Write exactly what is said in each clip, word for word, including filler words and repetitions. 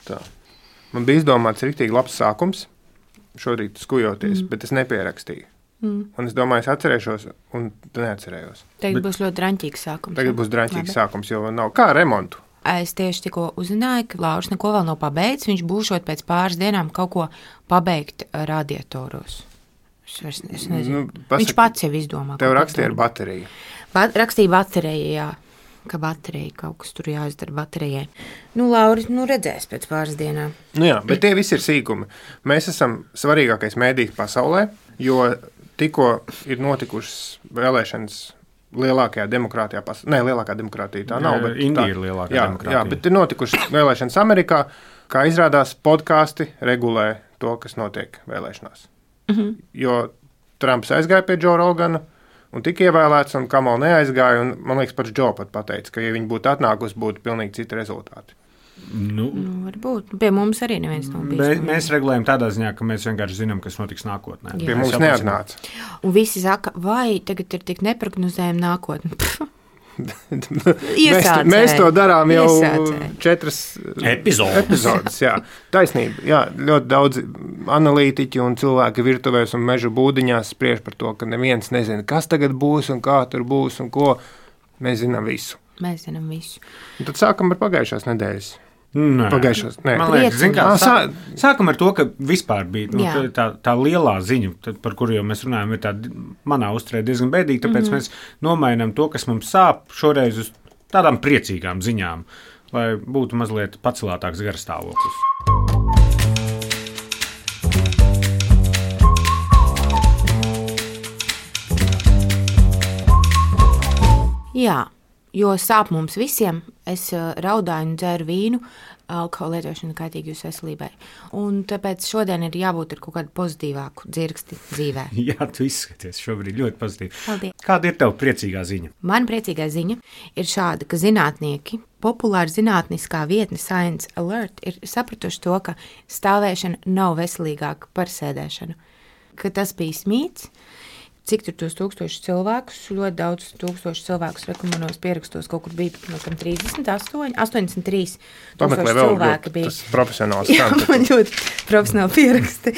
Tā. Man bija izdomāts riktīgi labs sākums, šorīt skujoties, mm. bet es nepierakstīju. Mm. Un es domāju, es atcerēšos, un neatcerējos. Tagad bet būs ļoti draņķīgs sākums. Tagad būs draņķīgs sākums, jo nav kā remontu. Es tieši tikko uzzināju, ka Lauris neko vēl nav pabeigts. Viņš būšot pēc pāris dienām kaut ko pabeigt radiatoros. Es, vairs, es nezinu. Nu, pasaka, viņš pats jau izdomā. Tev rakstīja ar bateriju. Ba- rakstīja bateriju, jā. Ka baterija kaut kas tur jāizdara baterijai. Nu, Lauris, nu redzēs pēc pāris dienām. Nu jā, bet tie visi ir sīkumi. Mēs esam svarīgākais mēdījis pasaulē, jo tikko ir notikušas vēlēšanas lielākajā demokrātijā pasaulē. Nē, lielākā demokrātija tā nav. Bet Indija tā, ir lielākā jā, demokrātija. Jā, bet ir notikušas vēlēšanas Amerikā, kā izrādās podkāsti regulē to, kas notiek vēlēšanās. Mhm. Jo Trumps aizgāja pie Džo Rogana, un tika ievēlēts, un Kamala neaizgāja, un man liekas, pats Džo pat pateica, ka, ja viņi būtu atnākusi, būtu pilnīgi citi rezultāti. Nu, nu, varbūt. Pie mums arī neviens nav bijis. Mēs, mēs regulējam tādā ziņā, ka mēs vienkārši zinām, kas notiks nākotnē. Jā. Pie mums neatnāca. Un visi saka, vai tagad ir tik neprognozējama nākotne. mēs, mēs to darām jau Iesācēji. četras epizodes. epizodes jā. Taisnība. Jā, ļoti daudz analītiķi un cilvēki virtuvēs un meža būdiņās spriež par to, ka neviens nezina, kas tagad būs un kā tur būs un ko. Mēs zinām visu. Mēs zinām visu. Un tad sākam ar pagājušās nedēļas. Nē. Pagājušās, nē. Man liekas, zin, kā, Ah, sā, sākam ar to, ka vispār bija nu, Jā. tā, tā lielā ziņa, tad, par kuru jau mēs runājam, ir tā manā uzturē diezgan bēdīga, tāpēc mm-hmm. mēs nomainām to, kas mums sāp, šoreiz uz tādām priecīgām ziņām, lai būtu mazliet pacelātāks garstāvoklis. Jā. Jo sāp mums visiem, es raudāju un dzēru vīnu, alkohola lietošana kaitīga jūsu veselībai. Un tāpēc šodien ir jābūt ar kaut kādu pozitīvāku dzirksti dzīvē. Jā, tu izskaties šobrīd ļoti pozitīvi. Paldies. Kāda ir tev priecīgā ziņa? Man priecīgā ziņa ir šāda, ka zinātnieki, populāra zinātniskā vietne Science Alert ir sapratuši to, ka stāvēšana nav veselīgāka par sēdēšanu. Ka tas bija smīts. Cik tur tos tūkstošus cilvēkus, ļoti daudz tūkstošu cilvēkus rekomanos pierakstos, kaut kur bija no kam trīsdesmit astoņi, astoņdesmit trīs tūkstoši cilvēki bija. Tas profesionāls Jā, man ļoti profesionāli pieraksti.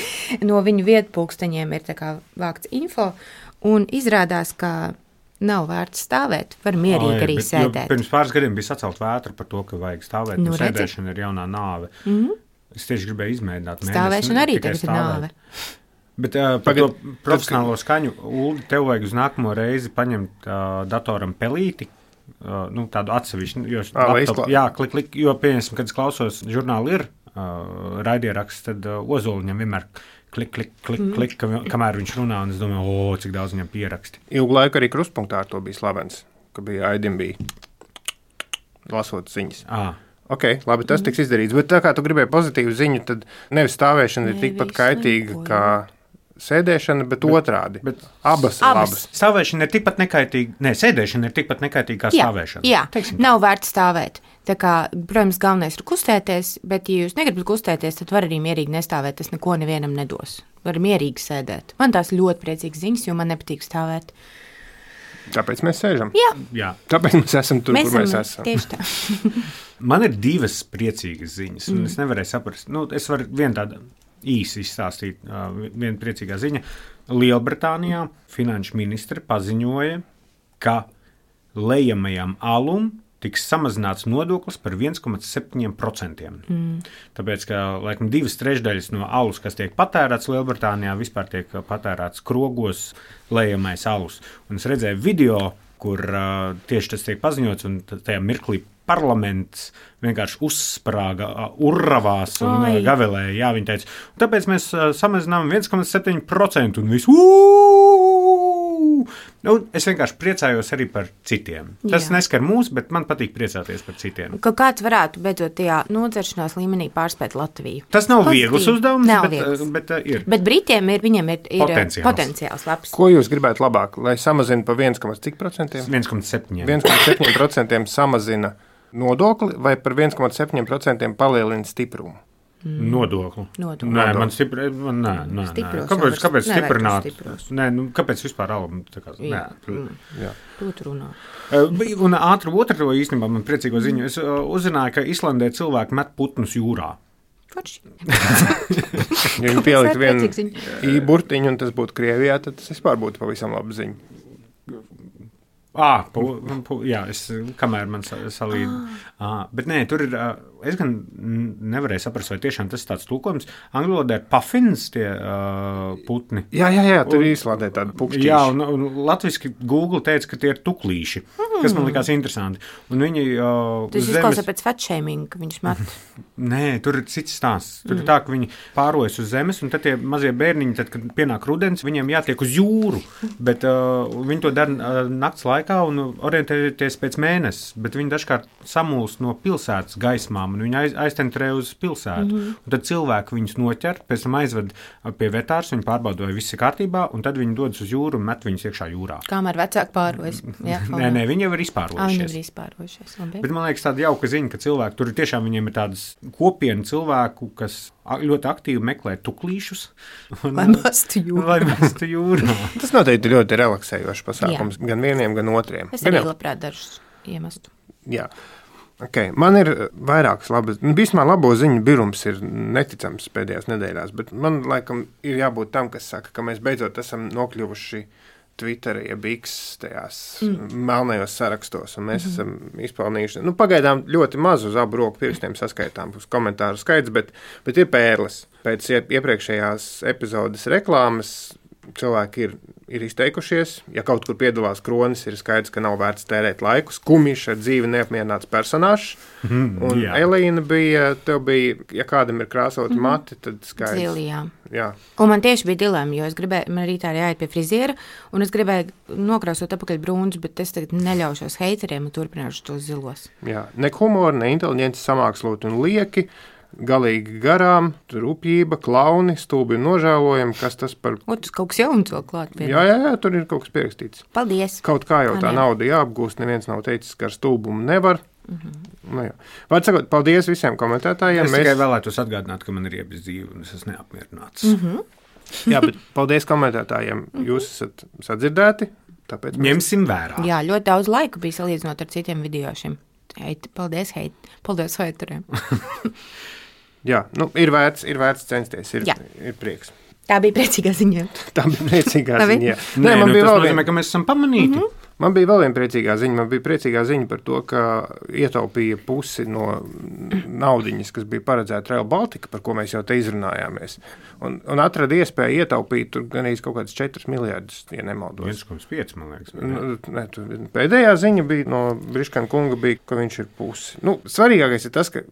No viņu vietpulksteņiem ir tā kā vākts info, un izrādās, ka nav vērts stāvēt, var mierīgi Ai, arī bet, sēdēt. Pirms pāris gadiem bija sacelt vētra par to, ka vajag stāvēt, Nu, un redzi. sēdēšana ir jaunā nāve. Mhm. Es tieši gribēju izmēģināt. Stāvēšana arī tikai tagad ir stāvēt. nāve. Bet uh, par Pagad, to profesionālo skaņu, Uldi, tev vajag uz nākamo reizi paņemt uh, datoram pelīti, uh, nu, tādu atsevišķu, jo, Ā, lai laptop, izklā- jā, klik, klik, jo, pieņemsim, kad es klausos žurnāli ir uh, raidieraksts, tad uh, Ozoliņam vienmēr klik, klik, klik, mm. klik, kam, kamēr viņš runā, un es domāju, o, cik daudz viņam pieraksti. Ilgu laiku arī Kruspunktā ar to bija slavens, ka bija Aidim bija lasot ziņas. À. Ok, labi, tas tiks izdarīts, bet tā kā tu gribēji pozitīvu ziņu, tad nevis stāvēšana ir Ne, tikpat visu kaitīga neko, kā sēdēšana, bet, bet otrādi. Bet abas, abas. labas. Stāvēšana ir tikpat nekaitīga, ne, sēdēšana ir tikpat nekaitīga kā Jā, stāvēšana. jā. Teiksim tā. Nav vērts stāvēt. Tā kā, protams, galvenais ir kustēties, bet, ja jūs negribat kustēties, tad var arī mierīgi nestāvēt. Tas neko nevienam nedos. Var mierīgi sēdēt. Man tās ļoti priecīgas ziņas, jo man nepatīk stāvēt. Tāpēc mēs sēžam. Jā, Jā. Tāpēc mēs esam tur, mēs kur mēs esam esam. tieši tā. Man ir divas priecīgas ziņas, un mm. es nevarēju saprast. Nu, es varu vienu tādu īsi izstāstīt, uh, viena priecīgā ziņa. Lielbritānijā finanšu ministre paziņoja, ka lejamajam alum tiks samazināts nodoklis par viens komats septiņi procenti. Mm. Tāpēc, ka laikam, divas trešdaļas no alus, kas tiek patērēts Lielbritānijā, vispār tiek patērēts krogos lejamais alus. Un es redzēju video, kur uh, tieši tas tiek paziņots, un tajā mirklī parlaments vienkārši uzsprāga, uh, urravās un uh, gavelēja. Jā, viņi teica, tāpēc mēs uh, samazinām viens komats septiņi procenti un visu. Nu, es vienkārši priecājos arī par citiem. Tas Jā. Neskar mūs, bet man patīk priecāties par citiem. Ka kāds varētu beidzot tajā nodzeršanās līmenī pārspēt Latviju. Tas nav Pozitīvi. viegls uzdevums, Nav bet, viegls. bet uh, ir. Bet Britiem ir, viņiem ir, ir Potenciāls. potenciāls labs. Ko jūs gribētu labāk, lai samazina pa viens komats procenti? viens komats septiņi. viens komats septiņi procenti samazina nodokli vai par viens komats septiņi procenti palielina stiprumu? Mm. Nodokli. Nodokli. Nē, man stipri, man, nē, nē, nē. Stipros Kāpēc, jau kāpēc nevajag stiprināt? stipros. Nē, nu, kāpēc vispār alam? Tā kā, nē. Mm. Jā. Ko tu runā? Uh, Un ātri otru īstenībā man priecīgo ziņu. Es uh, uzzināju, ka Islandē cilvēki met putnus jūrā. Ja viņi pielikt vienu īburtiņu, un tas būtu Krievijā, tad tas vispār būtu pavisam laba ziņa. À, pu, pu, jā, es, kamēr man salīd. Ah. Bet nē, tur ir, es gan nevarēju saprast, vai tiešām tas ir tāds tulkojums. Angļu valodā ir puffins, tie uh, putni. Jā, jā, jā, tur īslādē tādi pukšķīši. Jā, un, un latviski Google teica, ka tie ir tuklīši, mm. kas man likās interesanti. Un viņi uh, tas izklausās pēc fatshaming, ka viņus met. Nē, tur ir cits stāsts. Tur mm. ir tā, ka viņi pārojas uz zemes, un tad tie mazie bērniņi, tad, kad pienāk rudens, viņiem jātiek uz jūru, bet uh, viņi to dara uh, nakts laikā un orientēties pēc mēnesis, bet viņi dažkārt samulst no pilsētas gaismām, un viņi aiz, aiztentrē uz pilsētu. Mm-hmm. Un tad cilvēki viņus noķer, pēc tam aizved pie vetārs, viņi pārbauda, vai viss ir kārtībā, un tad viņi dodas uz jūru un met viņus iekšā jūrā. Kamēr vecāki pārojas. Jā, nē, nē, viņi jau ir izpārojušies. Ah, viņi jau ir izpārojušies. Labi. Bet man liekas tāda jauka ziņa, ka cilvēki, tur tiešām viņiem ir tādas kopiena cilvēku, kas ļoti aktīvi meklē tuklīšus. Un, lai mestu jūrā. Lai mestu jūrā. Tas noteikti ļoti relaksējošs pasākums, jā. Gan vieniem, gan otriem. Es arī labprāt dažus iemestu. Jā. Okay. Man ir vairākas labas, vismaz labo ziņu birums ir neticams pēdējās nedēļās, bet man laikam ir jābūt tam, kas saka, ka mēs beidzot esam nokļuvuši Twitterī, ja X tajās mm. melnajos sarakstos, un mēs mm-hmm. esam izpelnījuši, nu, pagaidām ļoti maz uz abu roku pirkstiem saskaitām uz komentāru skaits, bet, bet ir pērles. Pēc iepriekšējās epizodes reklāmas cilvēki ir, ir izteikušies, ja kaut kur piedalās kronis, ir skaidrs, ka nav vērts tērēt laiku. Skumišs ar dzīvi neapmierināts personāžs, mm, un jā. Elīna bija, tev bija, ja kādam ir krāsoti mm-hmm. mati, tad skaidrs. Zili, jā. Jā. Un man tieši bija dilemma, jo es gribēju, man rītā arī jāiet pie friziera, un es gribēju nokrāsot apakaļ brūnus, bet es tagad neļaušos heiteriem un turpināšu tos zilos. Jā, ne humori, ne inteliģenci samākslot un lieki, galīgi garām, rupjība, klauni, stulbi un nožēlojami, kas tas par... O, tas kaut kas jauns vēl klāt. Pie. Jā, jā, jā, tur ir kaut kas pierakstīts. Paldies. Kaut kā jau tā nauda jāapgūst, neviens nav teicis, ka ar stulbumu nevar. Mm-hmm. Nu, jā. Vārds sakot, paldies visiem komentētājiem. Es Mēs... tikai vēlētos atgādināt, ka man ir iebis dzīve un es esmu neapmierināts. Mm-hmm. Jā, bet paldies komentētājiem. Jūs esat sadzirdēti, tāpēc... Mēs... Ņemsim vērā. Jā, ļoti daudz laika bija salīdzinot ar citiem video šim. Heit, paldies, heit. Paldies heiteriem. Jā, nu, ir vērts, ir vērts censties, ir, ir prieks. Tā bija priecīgā ziņa. Tā bija priecīgā ziņa. Nē, Nē, man nu, bija tas nozīmē, vien... ka mēs esam pamanīti. Mm-hmm. Man bija vēl viena priecīgā ziņa. Man bija priecīgā ziņa par to, ka ietaupīja pusi no naudiņas, kas bija paredzēta Rail Baltica, par ko mēs jau te izrunājāmies. Un, un atrada iespēju ietaupīt tur gan īsti kaut kāds četri miljardus, ja nemaldos. viens komats pieci, man liekas. Nu, ne, tu, pēdējā ziņa bija no Briškana kunga, bija, ka viņš ir pusi. Nu, svarīgākais ir tas, ka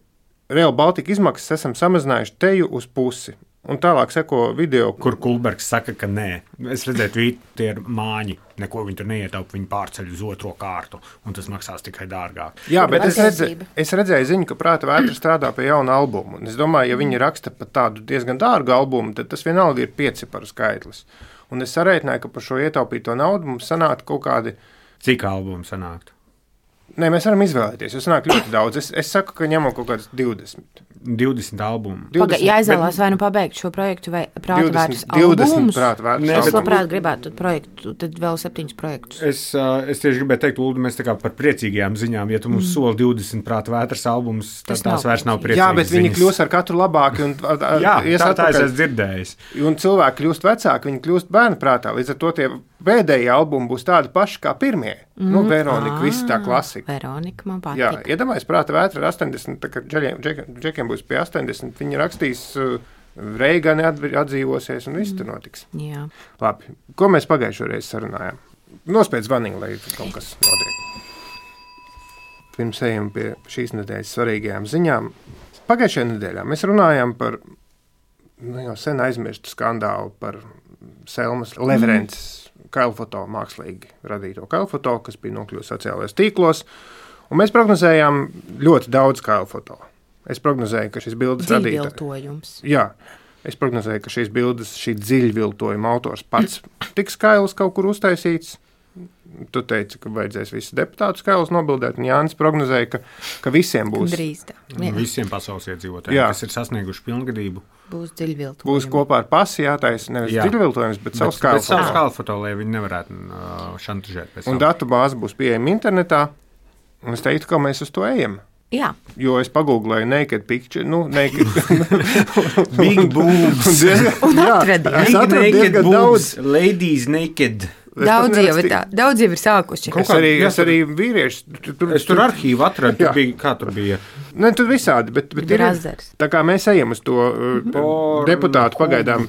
Rail Baltica izmaksas esam samazinājuši teju uz pusi. Un tālāk seko video, kur Kulbergs saka, ka nē. Es redzēju, ka tie ir māņi. Neko viņi tur neietaupa, viņi pārceļ uz otro kārtu, un tas maksās tikai dārgāk. Jā, bet es redzēju, es redzēju ziņu, ka Prāta vētra strādā pie jauna albuma. Un es domāju, ja viņi raksta pat tādu diezgan dārgu albumu, tad tas vienalga ir pieciparu skaitlis. Un es sarēķināju, ka par šo ietaupīto naudu mums sanāktu kaut kādi... Cik albumu sanāktu? Nē, mēs varam izvēlēties, jo sanāk ļoti daudz. Es, es saku, ka ņemam kaut kādas divdesmit. divdesmit albumu. Paga, jāizvēlās bet... vai nu pabeigt šo projektu vai Prāta vētras albumus. Prāta vētras es labprāt gribētu projektu, tad vēl septiņus projektus. Es, uh, es tieši gribēju teikt, Uldu, mēs tā kā par priecīgajām ziņām, ja tu mums mm. soli divdesmit Prāta vētras albumus, tad tas tās nav vairs nav priecīgas Jā, bet viņi ziņas. Kļūst ar katru labāki. Un, Jā, tā, tā es esmu dzirdējis. Un cilvēki kļūst vecāki, viņi kļūst bērnu prātā. Līdz ar to tie pēdējie albumi būs tādi paši kā pirmie. Mm. Nu, Veronika, visi tā klasika. Veronika man patīk. Jā, iedomājies, Prāta vētra ar astoņdesmit, tā kā džekiem, džekiem būs pie astoņdesmit, viņi rakstīs, uh, Reigani atdzīvosies un viss mm. tur notiks. Jā. Labi, ko mēs pagājušo reizi sarunājām? Nospēc zvaniņu, lai kaut kas notiek. Pirms ejam pie šīs nedēļas svarīgajām ziņām. Pagājušajā nedēļā mēs runājām par nu, jau sen aizmirstu skandālu par Selmas Leverences mm. kailfoto, mākslīgi radīto kailfoto, kas bija nokļuvusi sociālajos tīklos. Un mēs prognozējām ļoti daudz kailfoto. Es prognozēju, ka šis bildes radītājs... Dziļviltojums. Jā, es prognozēju, ka šīs bildes, šī dziļviltojuma autors pats tiks kails kaut kur uztaisīts. Tu teici, ka vajadzēs visus deputātus kailus nobildēt, un Jānis prognozēja, ka, ka visiem būs... Drīz tā. Visiem pasaules iedzīvotājiem, kas ir sasnieguši pilngadību. Būs dziļviltojums. Būs kopā ar pasi jātais, nevis jā. dziļviltojums, bet, bet savs kailfoto. Bet savs kailfoto, lai viņi nevarētu uh, šantažēt. Un datu bāze būs pieejama internetā, un es teiktu, ka mēs uz to ejam. Jā. Jo es pagūglēju naked picture, nu, naked. Big boobs. Un atradi. Es atradu diezgan daudz. Ladies naked. Daudz jau, ir tā, daudz jau ir sākuši. Es arī, es arī vīrieši. Tur, tur, es tur arhīvu atradu, tur bija, kā tur bija? Ne, tur visādi, bet, bet ir, tā kā mēs ejam uz to uh, deputātu pagaidām.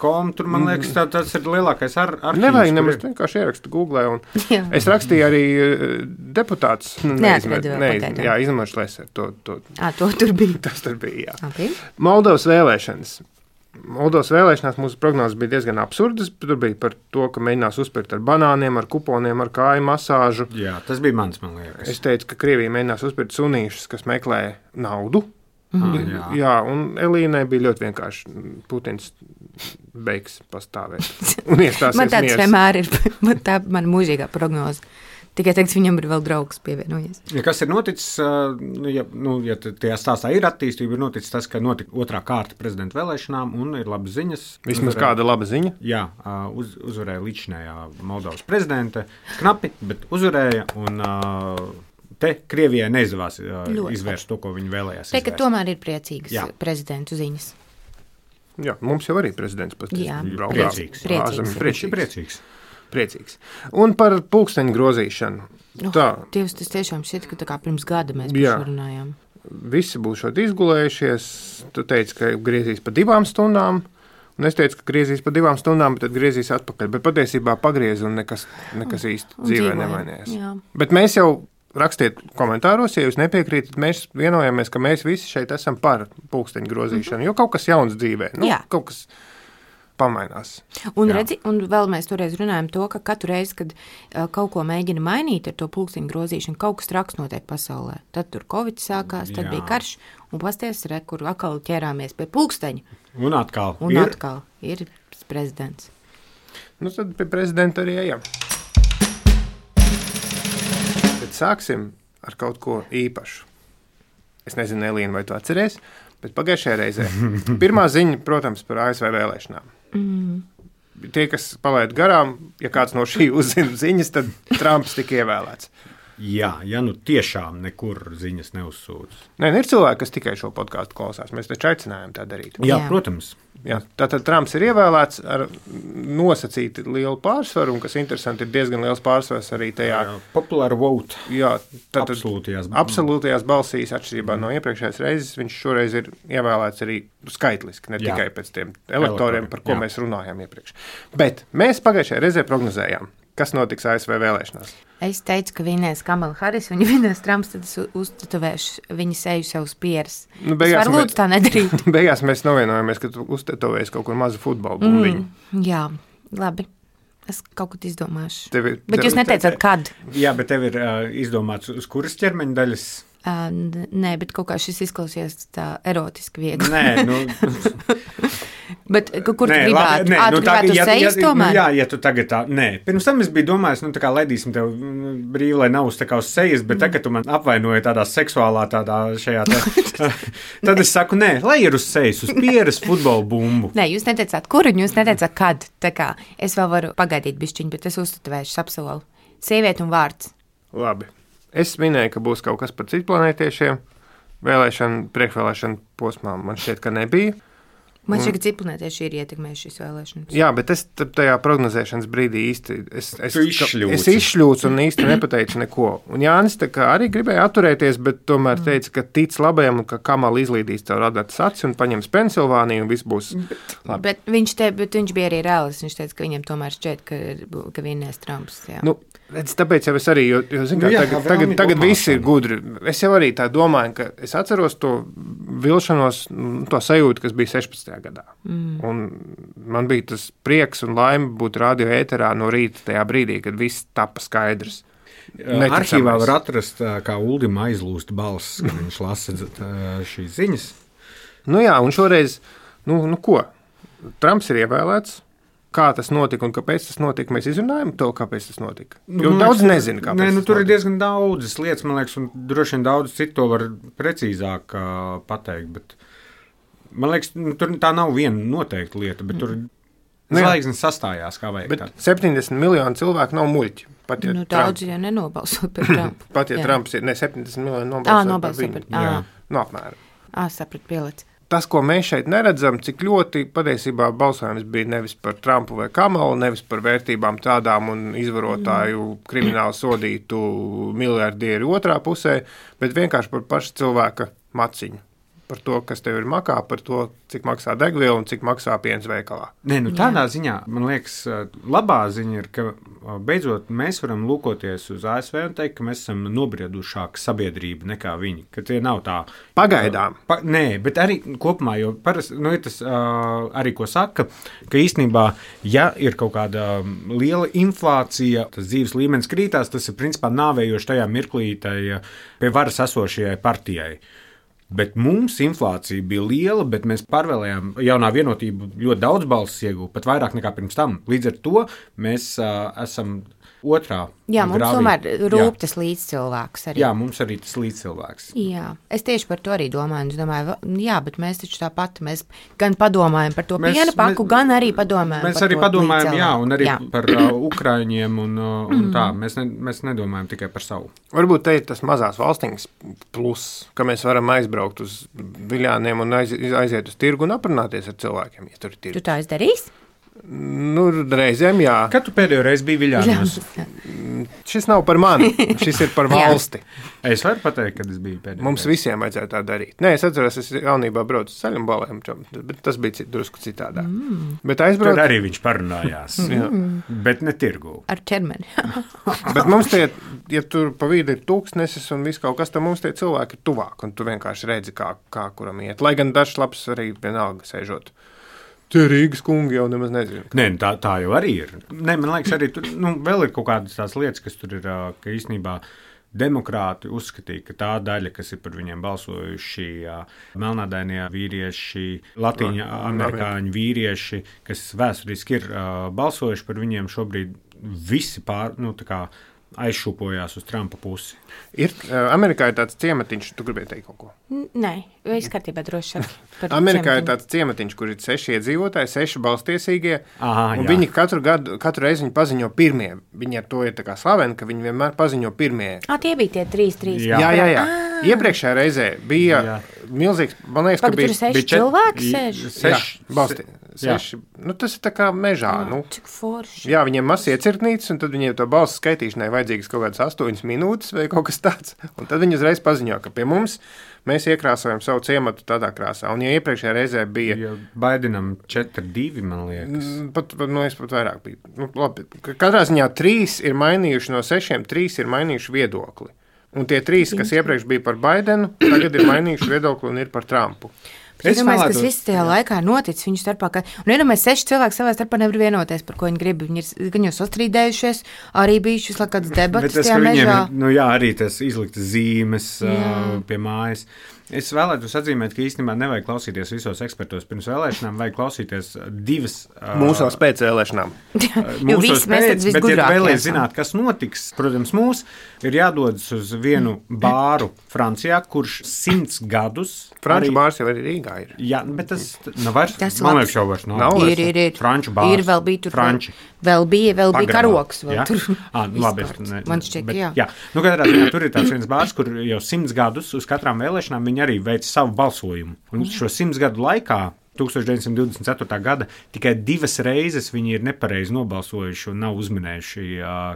.com, tur, man liekas, tā, tas ir lielākais ar, arhīvs. Nevajag nemaz vienkārši ierakstu Googlē. Un es rakstīju arī uh, deputāts. Nu, Neatradu vēl pagaidām. Jā, izmantošu leser. To, to, à, to tur bija. Tas tur bija, jā. Okay. Moldovas vēlēšanas. Moldovas vēlēšanās mūsu prognozes bija diezgan absurdas. Tur bija par to, ka mēģinās uzpirkt ar banāniem, ar kuponiem, ar kāju masāžu. Jā, tas bija mans, man liekas. Es teicu, ka Krievija mēģinās uzpirkt sunīšus, kas meklē naudu. Mm-hmm. Jā. Jā, un Elīnai bija ļoti vienkārši. Putins beigs pastāvēt. Un iestāsies man tāds miers. vienmēr ir, man tā man mūžīgā prognoze. Tikai teiks, viņam ir vēl draugs pievienojies. Ja kas ir noticis, ja, nu, ja tajā stāstā ir attīstība, ir noticis tas, ka notika otrā kārta prezidenta vēlēšanām un ir labas ziņas. Vismaz uzvarēja, kāda laba ziņa? Jā, uz, uzvarēja līdzinējā Moldovas prezidente. Knapi, bet uzvarēja un te Krievijai neizdevās izvērst to, ko viņi vēlējās izvērst. Te, ka tomēr ir priecīgas Jā. prezidentu ziņas. Jā, mums jau arī prezidents pats. Jā, priecīgs. Priecīgs. Priecīgs. Priecīgs. Priecīgs. Un par pulksteņu grozīšanu. Oh, tā. Dievs, tas tiešām šķiet, ka tā kā pirms gada mēs par šo runājām. Visi būs šeit izgulējušies. Tu teici, ka griezīs pa divām stundām. Un es teicu, ka griezīs pa divām stundām, bet tad griezīs atpakaļ. Bet patiesībā pagriez un nekas, nekas īsti un dzīvē nemainījās. Bet mēs jau rakstiet komentāros, ja jūs nepiekrītat, mēs vienojāmies, ka mēs visi šeit esam par pulksteņu grozīšanu. Mm-hmm. Jo kaut kas jauns dzīvē. Nu, kaut kas pamainās. Un, redzi, un vēl mēs toreiz runājam to, ka katru reizi, kad uh, kaut ko mēģina mainīt ar to pulksteņu grozīšanu, kaut kas traks notiek pasaulē. Tad tur Covid sākās, tad Jā. bija karš, un pasties, re, kur atkal ķērāmies pie pulksteņa. Un atkal. Un ir? atkal ir prezidents. Nu, tad pie prezidenta arī ejam. Tad sāksim ar kaut ko īpašu. Es nezinu, Elīna, vai tu atceries, bet pagājušajā reizē pirmā ziņa, protams, par A S V vēlēšanām. Mm. Tie, kas palaid garām, ja kāds no šī uzzina ziņas, tad Trumps tika ievēlēts. Jā, ja nu tiešām nekur ziņas neuzsūdz. Nē, ir cilvēki, kas tikai šo podkāstu klausās. Mēs taču aicinājām tā darīt. Jā, Jā. protams. Jā, tātad Trumps ir ievēlēts ar nosacīti lielu pārsvaru, un, kas interesanti, ir diezgan liels pārsvars arī tajā populāra vote. Jā, tātad absolūtajās, absolūtajās balsīs, atšķirībā mm. no iepriekšējās reizes, viņš šoreiz ir ievēlēts arī skaitliski, ne Jā. tikai pēc tiem elektoriem, par ko Jā. mēs runājām iepriekš. Bet mēs pagājušajā reizē prognozējām, kas notiks A S V vēlēšanās. Es teicu, ka vinēs Kamala Harris, viņa vinēs Trumps, tad es uztetovēšu viņa seju savus pieras. Nu, es varu lūdzu tā nedarīt. Beigās mēs novienojāmies, ka tu uztetovēsi kaut kur mazu futbolu bumbiņu. Mm, jā, labi. Es kaut ko izdomāšu. Tevi, bet tevi, jūs neteicāt, kad? Jā, bet tev ir uh, izdomāts, uz kuras ķermeņa daļas? Uh, nē, bet kaut kā šis izklausies tā erotiski viegli. Nē, nu... Bet kur nē, tu gribētu? Nē, Ā, nu, tu gribētu ja, sejas ja, tomēr? Nu, jā, ja tu tagad tā, nē. Pirms tam es biju domājis, nu tā kā ledīsim tev brīvi, lai nav uz tā kā uz sejas, bet mm. tagad tu man apvainoji tādā seksuālā tādā šajā te. Tad es saku, nē, lai ir uz sejas, uz pieras futbola bumbu. Nē, jūs neteicāt kur un jūs neteicāt kad. Tā kā es vēl varu pagaidīt bišķiņu, bet es uztetovēšu apsolu. Sieviete un vārds. Labi. Es minēju, ka būs kaut kas par citplanētiešiem. Vēlēšana, priekšvēlēšana posmā man šķiet, ka nebija. Man šķiet, ka citplanētieši ir ietekmējuši šīs vēlēšanas. Jā, bet es tajā prognozēšanas brīdī īsti es, es, izšļūci. es izšļūcu un īsti nepateicu neko. Un Jānis tā kā arī gribēja atturēties, bet tomēr mm. teica, ka tic labajam un ka Kamala izlīdīs tev radātas acis un paņems Pensilvāniju un viss būs labi. Bet viņš, te, bet viņš bija arī reālis. Viņš teica, ka viņam tomēr šķiet, ka, ka vinnēs Trumps. Jā. Nu, tāpēc jau es arī, jo, jo zin, kā, nu, jā, tagad, tagad, tagad visi ir gudri. Es jau arī tā domāju, ka es atceros to vilšanos, to sajūtu, kas bija sešpadsmitajā gadā. Mm. Un man bija tas prieks un laime būt radio ēterā no rīta tajā brīdī, kad viss tapa skaidrs. Arhīvā var atrast, kā Uldim aizlūst balss, kad viņš lasa šīs ziņas. Nu jā, un šoreiz, nu, nu ko, Trumps ir ievēlēts. Kā tas notika un kāpēc tas notika, mēs izrunājam to, kāpēc tas notika. Jo nu, daudz nezinu, kāpēc nē, nu, tas tur notika. Ir diezgan daudzas lietas, man liekas, un droši vien daudz citu to var precīzāk uh, pateikt, bet man liekas, nu, tur tā nav viena noteikta lieta, bet tur Zvaigznes sastājās, kā vajag. Bet septiņdesmit miljoni cilvēku nav muļķi. Pat, ja Nu, Trump, daudzi jau nenobalso par Trumpu. pat ja Jā. Trumps ir ne septiņdesmit miljoni Ā, nobalso par nobalso viņu. par- ā. Nu, apmēram. Ā, saprat, pielic. Tas, ko mēs šeit neredzam, cik ļoti patiesībā balsojums bija nevis par Trumpu vai Kamalu, nevis par vērtībām tādām un izvarotāju mm. krimināli sodītu miljardieru otrā pusē, bet vienkārši par pašu cilvēka maciņu. Par to, kas tev ir makā, par to, cik maksā degviela un cik maksā piens veikalā. Nē, nu tādā Jā. ziņā, man liekas, labā ziņa ir, ka beidzot mēs varam lūkoties uz A S V un teikt, ka mēs esam nobriedušāka sabiedrība nekā viņi, ka tie nav tā. Pagaidām. Pa, nē, bet arī kopumā, jo parasti, nu, ir tas uh, arī, ko saka, ka īstenībā, ja ir kaut kāda liela inflācija, tas dzīves līmenis krītās, tas ir principā nāvējoši tajā mirklī tai pie varas esošajai partijai. Bet mums inflācija bija liela, bet mēs pārvēlējām jaunā vienotību ļoti daudz balsis iegūt, pat vairāk nekā pirms tam. Līdz ar to mēs uh, esam otrā. Jā, mums grāvī. tomēr rūp tas līdzcilvēks arī. Jā, mums arī tas līdzcilvēks. Jā, es tieši par to arī domāju. Es domāju, jā, bet mēs taču tāpat, mēs gan padomājam par to mēs, piena paku, mēs, gan arī padomājam mēs par arī to padomājam, jā, un arī jā. par uh, Ukraiņiem un, uh, un tā. Mēs, ne, mēs nedomājam tikai par savu. Varbūt te ir tas mazās valstiņas plus, ka mēs varam aizbraukt uz viļāniem un aiz, aiziet uz tirgu un aprunāties ar cilvēkiem, ja tur ir tirgus. Tu tā izdarīsi? Nu, reizēm jā. Kad tu pēdējo reizi biji Viļānos? Šis nav par mani, šis ir par valsti. Es varu pateikt, kad es biju pēdējo. Mums visiem vajadzētu tā darīt. Nē, es atceros, es jaunībā braucu uz ceļam balēm, bet tas bija cit, drusku citādāk. Mm. Bet aizbrauc... Tur arī viņš parunājās, bet ne tirgu. Ar ķermeni. Bet mums tie, ja tur pa vīdi ir tūkstnesis un viss kaut kas, tad mums tie cilvēki ir tuvāk, un tu vienkārši redzi, kā, kā kuram iet. Lai gan dažs labs arī vienalga sēžot. Tie Rīgas kungi jau nemaz nezinu. Nē, tā, tā jau arī ir. Nē, man liekas, arī tur nu, vēl ir kaut kādas tās lietas, kas tur ir, ka īstenībā demokrāti uzskatīja, ka tā daļa, kas ir par viņiem balsojuši, melnādainie vīrieši, latīņa amerikāņu vīrieši, kas vēsturiski ir balsojuši par viņiem, šobrīd visi pār, nu, tā kā aizšūpojās uz Trumpa pusi. Ir, uh, Amerikā ir tāds ciematiņš, tu gribēji teikt kaut ko? Nē, viss kārtībā droši saki. Amerikā ir tāds ciematiņš, kur ir seši iedzīvotāji, seši balstiesīgie, Aha, un jā. viņi katru gadu, katru reizi viņi paziņo pirmie. Viņi ar to ir tā kā slaveni, ka viņi vienmēr paziņo pirmie. Ā, tie bija tie trīs, trīs. Jā. Jā, jā, jā. Iepriekšējā reizē bija Jā. milzīgs, man liekas, Pagad, ka bija... tur seši bija čet- cilvēki sēž? Seši. Jā, balsti, seši. Nu, tas ir tā kā mežā, nu. Cik forši. Jā, viņiem mazs iecirknītis, un tad viņiem to balsu skaitīšanai vajadzīgas kaut kādas astoņas minūtes vai kaut kas tāds. Un tad viņi uzreiz paziņo, ka pie mums mēs iekrāsojam savu ciematu tādā krāsā. Un ja iepriekšējā reizē bija... Ja Baidenam četri divi, man liekas. Pat, pat, nu, es pat vairāk biju. Nu, labi, katrā ziņā trīs ir mainījuši no sešiem, trīs ir mainījuši viedokli. Un tie trīs, kas iepriekš bija par Baidenu, tagad ir mainījuši viedokli un ir par Trumpu. Es domāju, kas viss tajā laikā noticis viņu starpā. Ka, un iedomājies, seši cilvēki savā starpā nevar vienoties, par ko viņi grib. Viņi ir gan jau sastrīdējušies, arī bijušas kādas debatas tajā mežā. Ir, nu jā, arī tas izliktas zīmes uh, pie mājas. Es vēlētos atzīmēt, ka īstenībā nevajag klausīties visos ekspertos pirms vēlēšanām, vajag klausīties divas... Uh, Mūsos pēc vēlēšanām. Mūsos pēc, bet, ja vēlies zināt, kas notiks, protams, mūs ir jādodas uz vienu bāru Francijā, kurš simts gadus... Franču arī, bārs jau arī Rīgā ir. Jā, bet tas nav vairs. Tas Man labs. liekas, jau vairs nav. Nav. Ir, ir, ir. Franču bārs. Ir vēl bija tur. Franči. Vēl bija, vēl bija Pagramā. karoks. Vēl Ja? tur À, nu, labi, izkārts. ne, Man šķiet, bet, jā. jā. Nu, katrā ziņā tur ir tāds viens bārs, kur jau simts gadus uz katrām vēlēšanām viņi arī veic savu balsojumu. Un šo simts gadu laikā, tūkstoš deviņsimt divdesmit ceturtā gada, tikai divas reizes viņi ir nepareizi nobalsojuši un nav uzminējuši,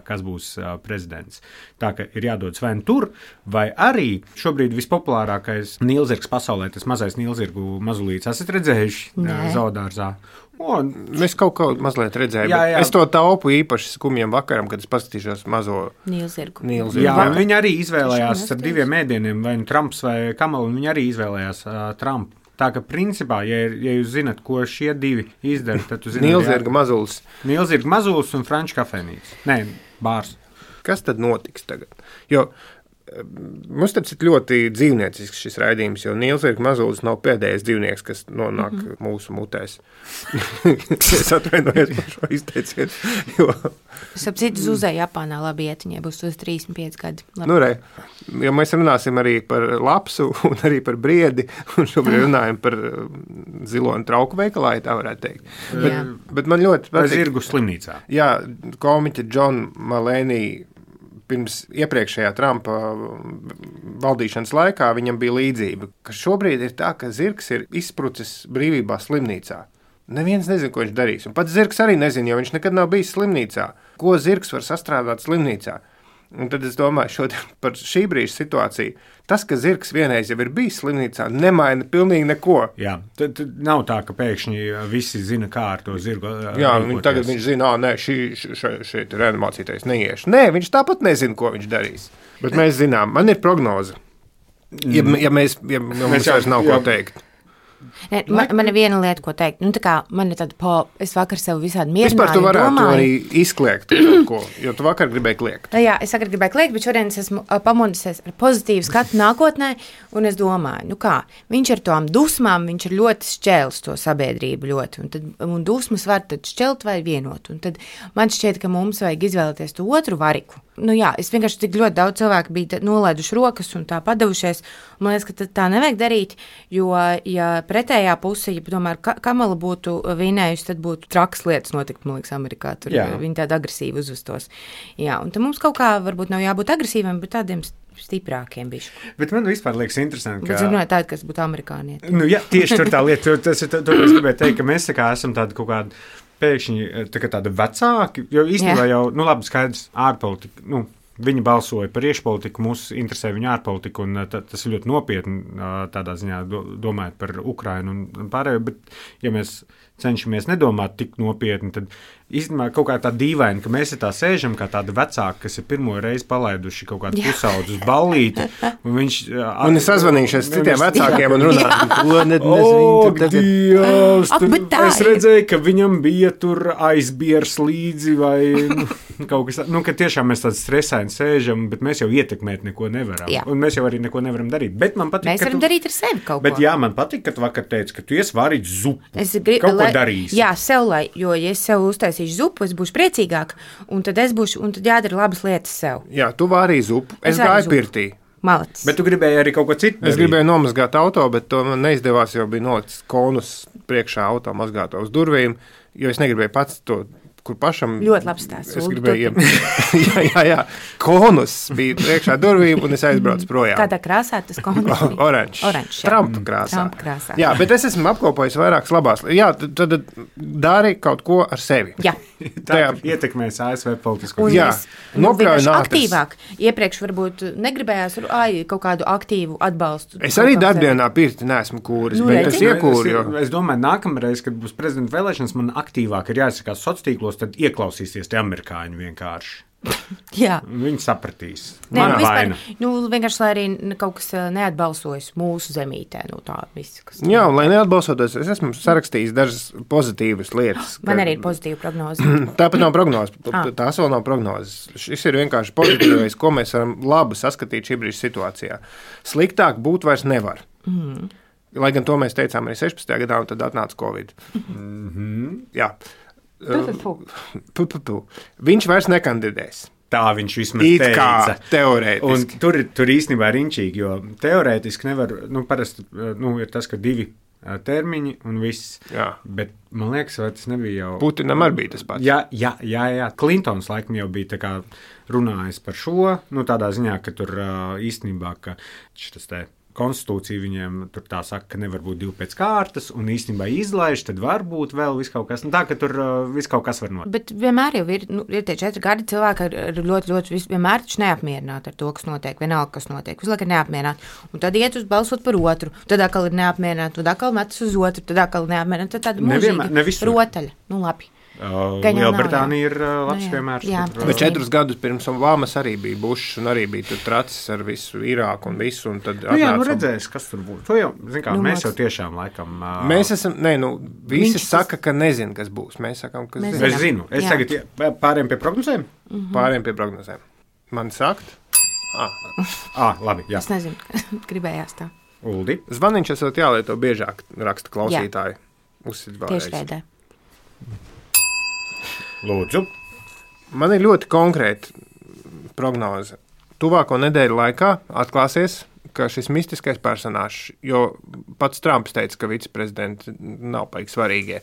kas būs prezidents. Tā ka ir jādodas vai tur, vai arī šobrīd vispopulārākais nīlzirgs pasaulē, tas mazais nīlzirgu mazulīts. Esat redzējuši zoodārzā? O, Es kaut ko mazliet redzēju, Jā, jā. bet es to taupu īpaši skumjiem vakaram, kad es paskatīšos mazo Nīlzirgu. nīlzirgu. Jā, Va- viņi arī izvēlējās Tiešām ar diviem ēdieniem, vai nu Trumps vai Kamala, un viņi arī izvēlējās uh, Trumpu. Tā ka, principā, ja, ja jūs zinat, ko šie divi izdara, tad jūs zināt, Nīlzirga mazulis. Nīlzirga mazulis un franču kafejnīca. Nē, bārs. Kas tad notiks tagad? Jo Mums tas ir ļoti dzīvniecisks šis raidījums, jo Nīls Virka Mazulis nav pēdējais dzīvnieks, kas nonāk mm -hmm. mūsu mutēs. Es atvainojos par šo izteicienu. Jo... Es ap citu zuzēju Japānā labi ietiņai, būs uz trīsdesmit pieci gadi. Labi. Nu, re, jo mēs runāsim arī par lapsu un arī par briedi, un šobrīd runājam par ziloņu trauku veikalā, ja tā varētu teikt. Bet, bet man ļoti patīk. Zirgu slimnīcā. Jā, komiķa John Mulaney pirms iepriekšējā Trumpa valdīšanas laikā viņam bija līdzība, ka šobrīd ir tā, ka zirgs ir izsprucis brīvībā slimnīcā. Neviens nezina, ko viņš darīs. Un pats zirgs arī nezina, jo viņš nekad nav bijis slimnīcā. Ko zirgs var sastrādāt slimnīcā? Un tad es domāju šodien par šī brīža situāciju. Tas, ka zirgs vienreiz jau ir bijis slimnīcā, nemaina pilnīgi neko. Jā, tad, tad nav tā, ka pēkšņi visi zina, kā ar to zirgu. Jā, viņi tagad viņš zina, ā, nē, šī, šī, šī reanimācijas neiešu. Nē, viņš tāpat nezina, ko viņš darīs. Bet mēs zinām, man ir prognoze. Ja, ja mēs, ja mums vairs nav jā. ko teikt. Ne, man, man ir viena lieta, ko teikt. Nu, tā kā man ir tāda, po, es vakar sev visādi mierināju, vispār tu varētu domāju. arī izkliegt ko, jo tu vakar gribēji kliegt. Jā, es vakar gribēju kliegt, bet šodien es esmu pamodusies ar pozitīvu skatu nākotnē, un es domāju, nu kā, viņš ar tām dusmām, viņš ir ļoti šķēlis to sabiedrību ļoti, un, tad, un dusmas var tad šķelt vai vienot, un tad man šķiet, ka mums vajag izvēlēties to otru variku. Nu jā, es vienkārši tik ļoti daudz cilvēku bija nolaiduši rokas un tā padavušies, un man liekas, ka tā nevajag darīt, jo, ja pretējā puse, ja tomēr Kamala būtu vinējusi, tad būtu traks lietas notikt, man liekas, Amerikā. Tur jā. Viņi tādi agresīvi uzvestos. Jā, un tad mums kaut kā varbūt nav jābūt agresīviem, bet tādiem stiprākiem bišķi. Bet man vispār liekas interesanti, ka... Bet runāju tādi, kas būtu amerikānieti. Nu jā, tieši tur tā lieta, tas ir, to es gribēju teikt, ka mēs tā kā esam tādi kaut kādi pēkšņi tā kā tādi vecāki, jo īstenībā jā. jau, nu labi, skaidrs, ārpolitika, nu, viņi balsoja par iekšpolitiku, mūs interesē viņa ārpolitika, un tā, tas ir ļoti nopietni tādā ziņā domājot par Ukrainu un pārējo, bet ja mēs cenšamies nedomāt tik nopietni, tad īstenībā kaut kā tā dīvaini, ka mēs tā sēžam kā tādi vecāki, kas ir pirmo reizi palaiduši kaut kādu pusaudzu uz ballīti, un viņš... Un es sazvanījušies citiem vecākiem un runāju, ko net nezinu. O, Dievs, es redzēju, ka viņam bija tur aizbiers līdzi vai nu, kaut kas tā, nu, ka tiešām mēs tādi stresaini sēžam, bet mēs jau ietekmēt neko nevaram. Jā. Un mēs jau arī neko nevaram darīt. Bet man patīk, mēs varam tu, darīt ar sevi kaut bet, ko. Bet jā, man patīk, ka tu vakar teici, ka tu ies varīt zupu. Es grib, kaut lai, ko darīsi. Jā, sev, lai, jo ja es sev uztaisīšu zupu, es būšu priecīgāk, un tad es būšu, un tad jādara labas lietas sev. Jā, tu varīji zupu, es, es gāju pirtī. Malacis. Bet tu gribēji arī kaut ko citu darīt. Es gribēju nomazgāt auto, bet to man neizdevās, jo bija nolicis konus priekšā auto mazgāto uz durvīm, jo es negribēju pats to, kur pašam... Ļoti labs stāsts. Es gribēju, jā, jā, jā, konus bija priekšā durvīm, un es aizbraucu projām. Kādā krāsā tas konus bija? Oranžs. Oranžs, jā. Trumpa krāsā. Trumpa krāsā. Jā, bet es esmu apkopojis vairākas labās. Jā, tad, tad dari kaut ko ar sevi. Jā. Tā ietekmēs A S V politisko. Un jā, nu, vienkārši aktīvāk. Iepriekš varbūt negribējās ai, kaut kādu aktīvu atbalstu. Es arī darbdienā pirti neesmu kūris, nu, bet es iekūru. Jo... Es, es domāju, nākamreiz, kad būs prezidenta vēlēšanas, man aktīvāk ir jāizsakās sociālos tīklos, tad ieklausīsies tie amerikāņi vienkārši. Jā. Viņi sapratīs. Nē, nu, vispār, nu, vienkārši, lai arī kaut kas neatbalsojas mūsu zemītē. Nu, tā, viss, kas... Jā, un lai neatbalsoties, es esmu sarakstījis dažas pozitīvas lietas. Man ka... arī ir pozitīva prognoze. Tāpat nav prognozes. Tās vēl nav prognozes. Šis ir vienkārši pozitīvais, ko mēs varam labi saskatīt šī brīža situācijā. Sliktāk būt vairs nevar. Mm. Lai gan to mēs teicām arī sešpadsmitajā gadā, un tad atnāca Covid. Mm-hmm. Jā. Pu, pu, pu. Viņš vairs nekandidēs. Tā viņš vismaz it teica. Kā teorētiski. Un tur, tur īstenībā ir riņķīgi, jo teorētiski nevar, nu, parasti nu, ir tas, ka divi termiņi un viss. Jā. Bet man liekas, vai tas nebija jau... Putinam arī bija tas pats. Jā, jā, jā, jā. Klintons laikam jau bija tā kā runājis par šo, nu, tādā ziņā, ka tur īstenībā, ka šitas te konstitūcija viņiem tur tā saka, ka nevar būt divi pēc kārtas, un īstenībā izlaiž, tad var būt vēl viss kaut kas. Nu, tā, ka tur uh, viss kaut kas var notikt. Bet vienmēr jau ir, nu, ir tie četri gadi cilvēki ir ļoti, ļoti, vis, vienmēr taču neapmierināti ar to, kas notiek, vienalga, kas notiek. Visu laiku ir neapmierināti. Un tad iet uz balsot par otru, tad atkal ir neapmierināti, tad atkal metas uz otru, tad atkal neapmierināti. Tad tāda mūžīga rotaļa. Nu, labi. Uh, Lielbritānija ir uh, labs piemērs. Jā, bet četrus gadus pirms Obamas arī bija Bušs un arī bija tur tracis ar visu Irāku un visu. Un tad nu, jā, nu redzēs, kas tur būs. To jau, zin kā, nu, mēs jau tiešām laikam... Uh, mēs esam, ne, nu, visi viņš saka, ka nezin, kas būs. Mēs sakam, ka mēs zin. Es zinu. Es jā. tagad pāriem pie prognozēm? Mm-hmm. Pāriem pie prognozēm. Man sakt? Ah. ah, labi, jā. Es nezinu, gribējās tā. Uldi. Zvaniņš esot jālieto biežāk, raksta klausītāji. Uzsit vēlreiz. Tieši tādā. Lūdzu. Man ir ļoti konkrēta prognoze. Tuvāko nedēļu laikā atklāsies, ka šis mistiskais personāžs, jo pats Trumps teica, ka viceprezidenti nav paīgi svarīgie.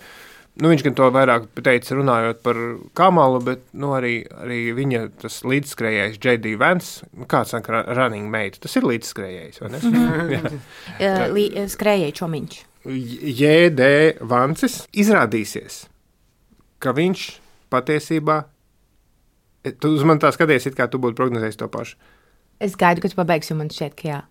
Nu, viņš gan to vairāk teica runājot par Kamalu, bet nu, arī, arī viņa tas līdzskrējējs J D Vance, kāds saka running mate, tas ir līdzskrējējs, vai ne? uh, Skrējēji čomiņš. J D Vances izrādīsies, ka viņš patiesībā, tu uz mani tā skaties, it kā tu būtu prognozējis to pašu. Es gaidu, ka tu pabeigsi, un man šķiet, ka jā.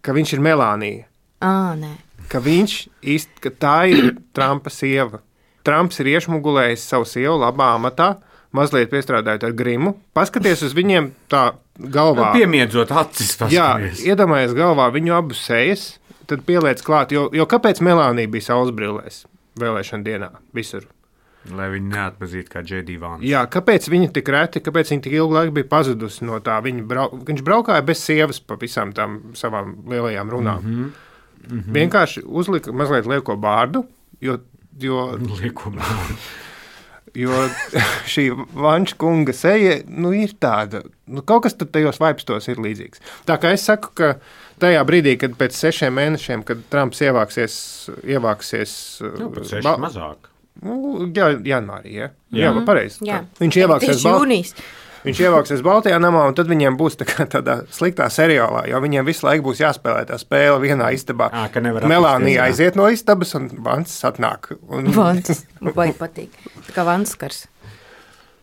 Ka viņš ir Melānija. Ā, nē. Ka viņš īsti, ka tā ir Trumpa sieva. Trumps ir iešmugulējis savu sievu labā amatā, mazliet piestrādājot ar grimu. Paskaties uz viņiem tā galvā. Piemiedzot acis. Jā, iedomājies galvā viņu abu sejas, tad pieliec klāt, jo, jo kāpēc Melānija bija saules brillēs vēlēšana dienā visur? Lai viņi neatpazītu kā J D Vance. Jā, kāpēc viņa tik reti, kāpēc viņa tik ilgu laiku bija pazudusi no tā? Viņa brau, viņš braukāja bez sievas pa visām tām savām lielajām runām. Mm-hmm. Mm-hmm. Vienkārši uzlika mazliet lieko bārdu, jo Jo, jo šī Vanča kunga seja nu, ir tāda, nu, kaut kas tajos vaipstos ir līdzīgs. Tā kā es saku, ka tajā brīdī, kad pēc sešiem mēnešiem, kad Trumps ievāksies, ievāksies nu, pēc seši ba- mazāk. Nu, jā, janvārī, ja? jā, jā pareizi. Jā. Viņš ievāksies jūnijas. Viņš ievāksies Baltijā namā, un tad viņiem būs tā kā tādā sliktā seriālā, jo viņiem visu laiku būs jāspēlē tā spēle vienā istabā. À, Melānija aiziet no istabas, un Vances atnāk. Un... Vances, vai patīk. Tā kā Vanskars.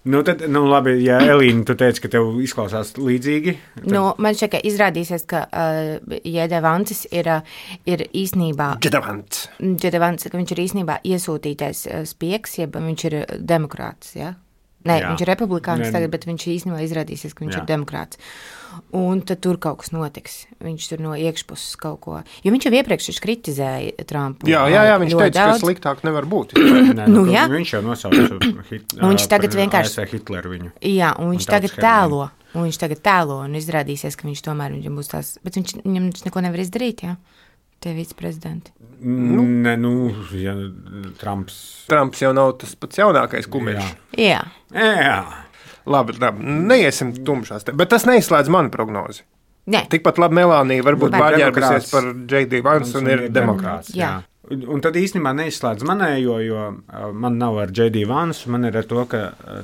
Nu, tad, nu, labi, ja Elīna, tu teici, ka tev izklausās līdzīgi. Tad... Nu, man šķiet, ka izrādīsies, ka uh, Jēde Vances ir, uh, ir īstenībā... Jēde Vance. Jēde Vance, ka viņš ir īstenībā iesūtītais uh, spiegs, ja viņš ir demokrāts, ja? Nē, jā. Viņš ir republikānis tagad, bet viņš īstenībā izrādīsies, ka viņš jā. ir demokrāts. Un tad tur kaut kas notiks. Viņš tur no iekšpuses kaut ko... Jo viņš jau iepriekš kritizēja Trumpu. Jā, jā, jā viņš teica, daudz. Ka sliktāk nevar būt. Nē, nu, jā. Viņš jau nosauca hit, viņš tagad vienkārši... A S V Hitleru viņu. Jā, un viņš un tagad tēlo. Un viņš tagad tēlo, un izrādīsies, ka viņš tomēr viņam būs tās... Bet viņš, viņam neko nevar izdarīt, jā? Tie viceprezidenti. Nu, ne, nu, ja Trumps... Trumps jau nav tas pats jaunākais kumeļš. Jā. Jā. Jā. Labi, labi, neiesim tumšās te, bet tas neizslēdz manu prognozi. Nē. Tikpat labi Melānija varbūt bāģērbusies par J D Vance un, un ir demokrāts. Jā. Un, un tad īstenībā neizslēdz manējo, jo man nav ar J D Vance, man ir ar to, ka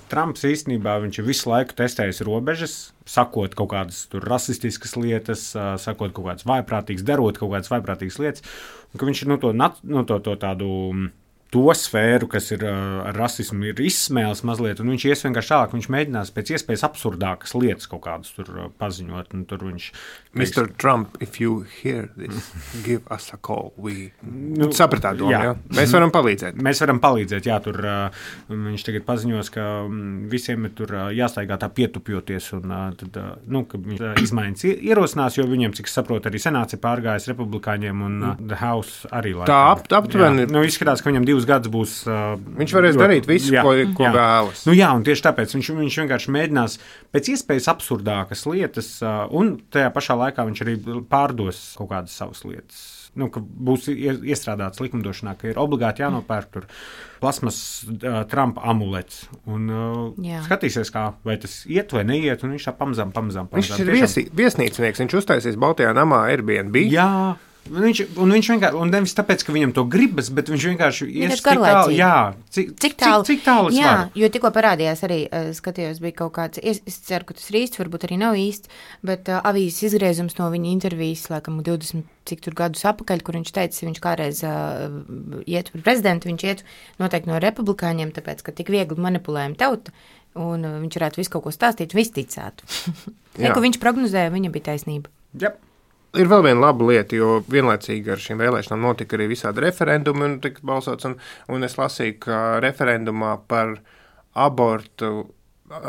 Trumps īstenībā viņš visu laiku testējis robežas, sakot kaut kādas tur rasistiskas lietas, sakot kaut kādas vaiprātīgas, darot kaut kādas vaiprātīgas lietas, un ka viņš ir no to, no to, to tādu... to sfēru, kas ir ar rasismu, ir izsmēlis mazliet, un viņš ies vienkārši tālāk, viņš mēģinās pēc iespējas absurdākas lietas kaut kādas tur paziņot, un tur viņš... mister Trump, if you hear this, give us a call. We... Nu, sapratā domu, jā. jā? Mēs varam palīdzēt. Mēs varam palīdzēt, jā, tur viņš tagad paziņos, ka visiem ir tur jāstaigā tā pietupjoties, un tad, nu, ka viņš izmaiņas ierosinās, jo viņiem, cik saprot, arī senāts ir pārgājis republikāņiem, un mm. The House arī laikam. Tā ap, aptuveni... Nu, izskatās, ka viņam divus gadus būs... Uh, viņš varēs jo, darīt visu, jā, ko, ko jā. vēlas. Nu jā, un tieši tāpēc viņš, viņš vienkārši mēģinās pēc iespējas absurdākas lietas, uh, un tajā pašā laikā viņš arī pārdos kaut kādas savas lietas. Nu, ka būs iestrādāts likumdošanā, ka ir obligāti jānopērk tur plasmas uh, Trumpa amulets. Un uh, skatīsies, kā, vai tas iet vai neiet, un viņš tā pamazām, pamazām, pamazām. Viņš ir viesi, viesnīcinieks, viņš uztaisīs Baltijā namā Airbnb. Jā. Viņš, un viņš vienkārši, un nevis tāpēc, ka viņam to gribas, bet viņš vienkārši ies tik tālu, jā, cik, cik tālu, cik, cik tālu jā, var. Jo tikko parādījās arī, uh, skatījos, bija kaut kāds, es, es ceru, ka tas ir īsts, varbūt arī nav īsts, bet uh, avīzes izgriezums no viņa intervijas, laikam, divdesmit cik tur gadus apakaļ, kur viņš teica, viņš kādreiz uh, iet par prezidentu, viņš iet noteikti no republikāņiem, tāpēc, ka tik viegli manipulējam tauta, un uh, viņš varētu visu kaut ko stāstīt, visu ticētu. Ne, ko viņš prognozēja, viņa bija taisnība. Yep. Ir vēl viena laba lieta, jo vienlaicīgi ar šīm vēlēšanām notika arī visādi referendumi, un tika balsots, un, un es lasīju, ka referendumā par abortu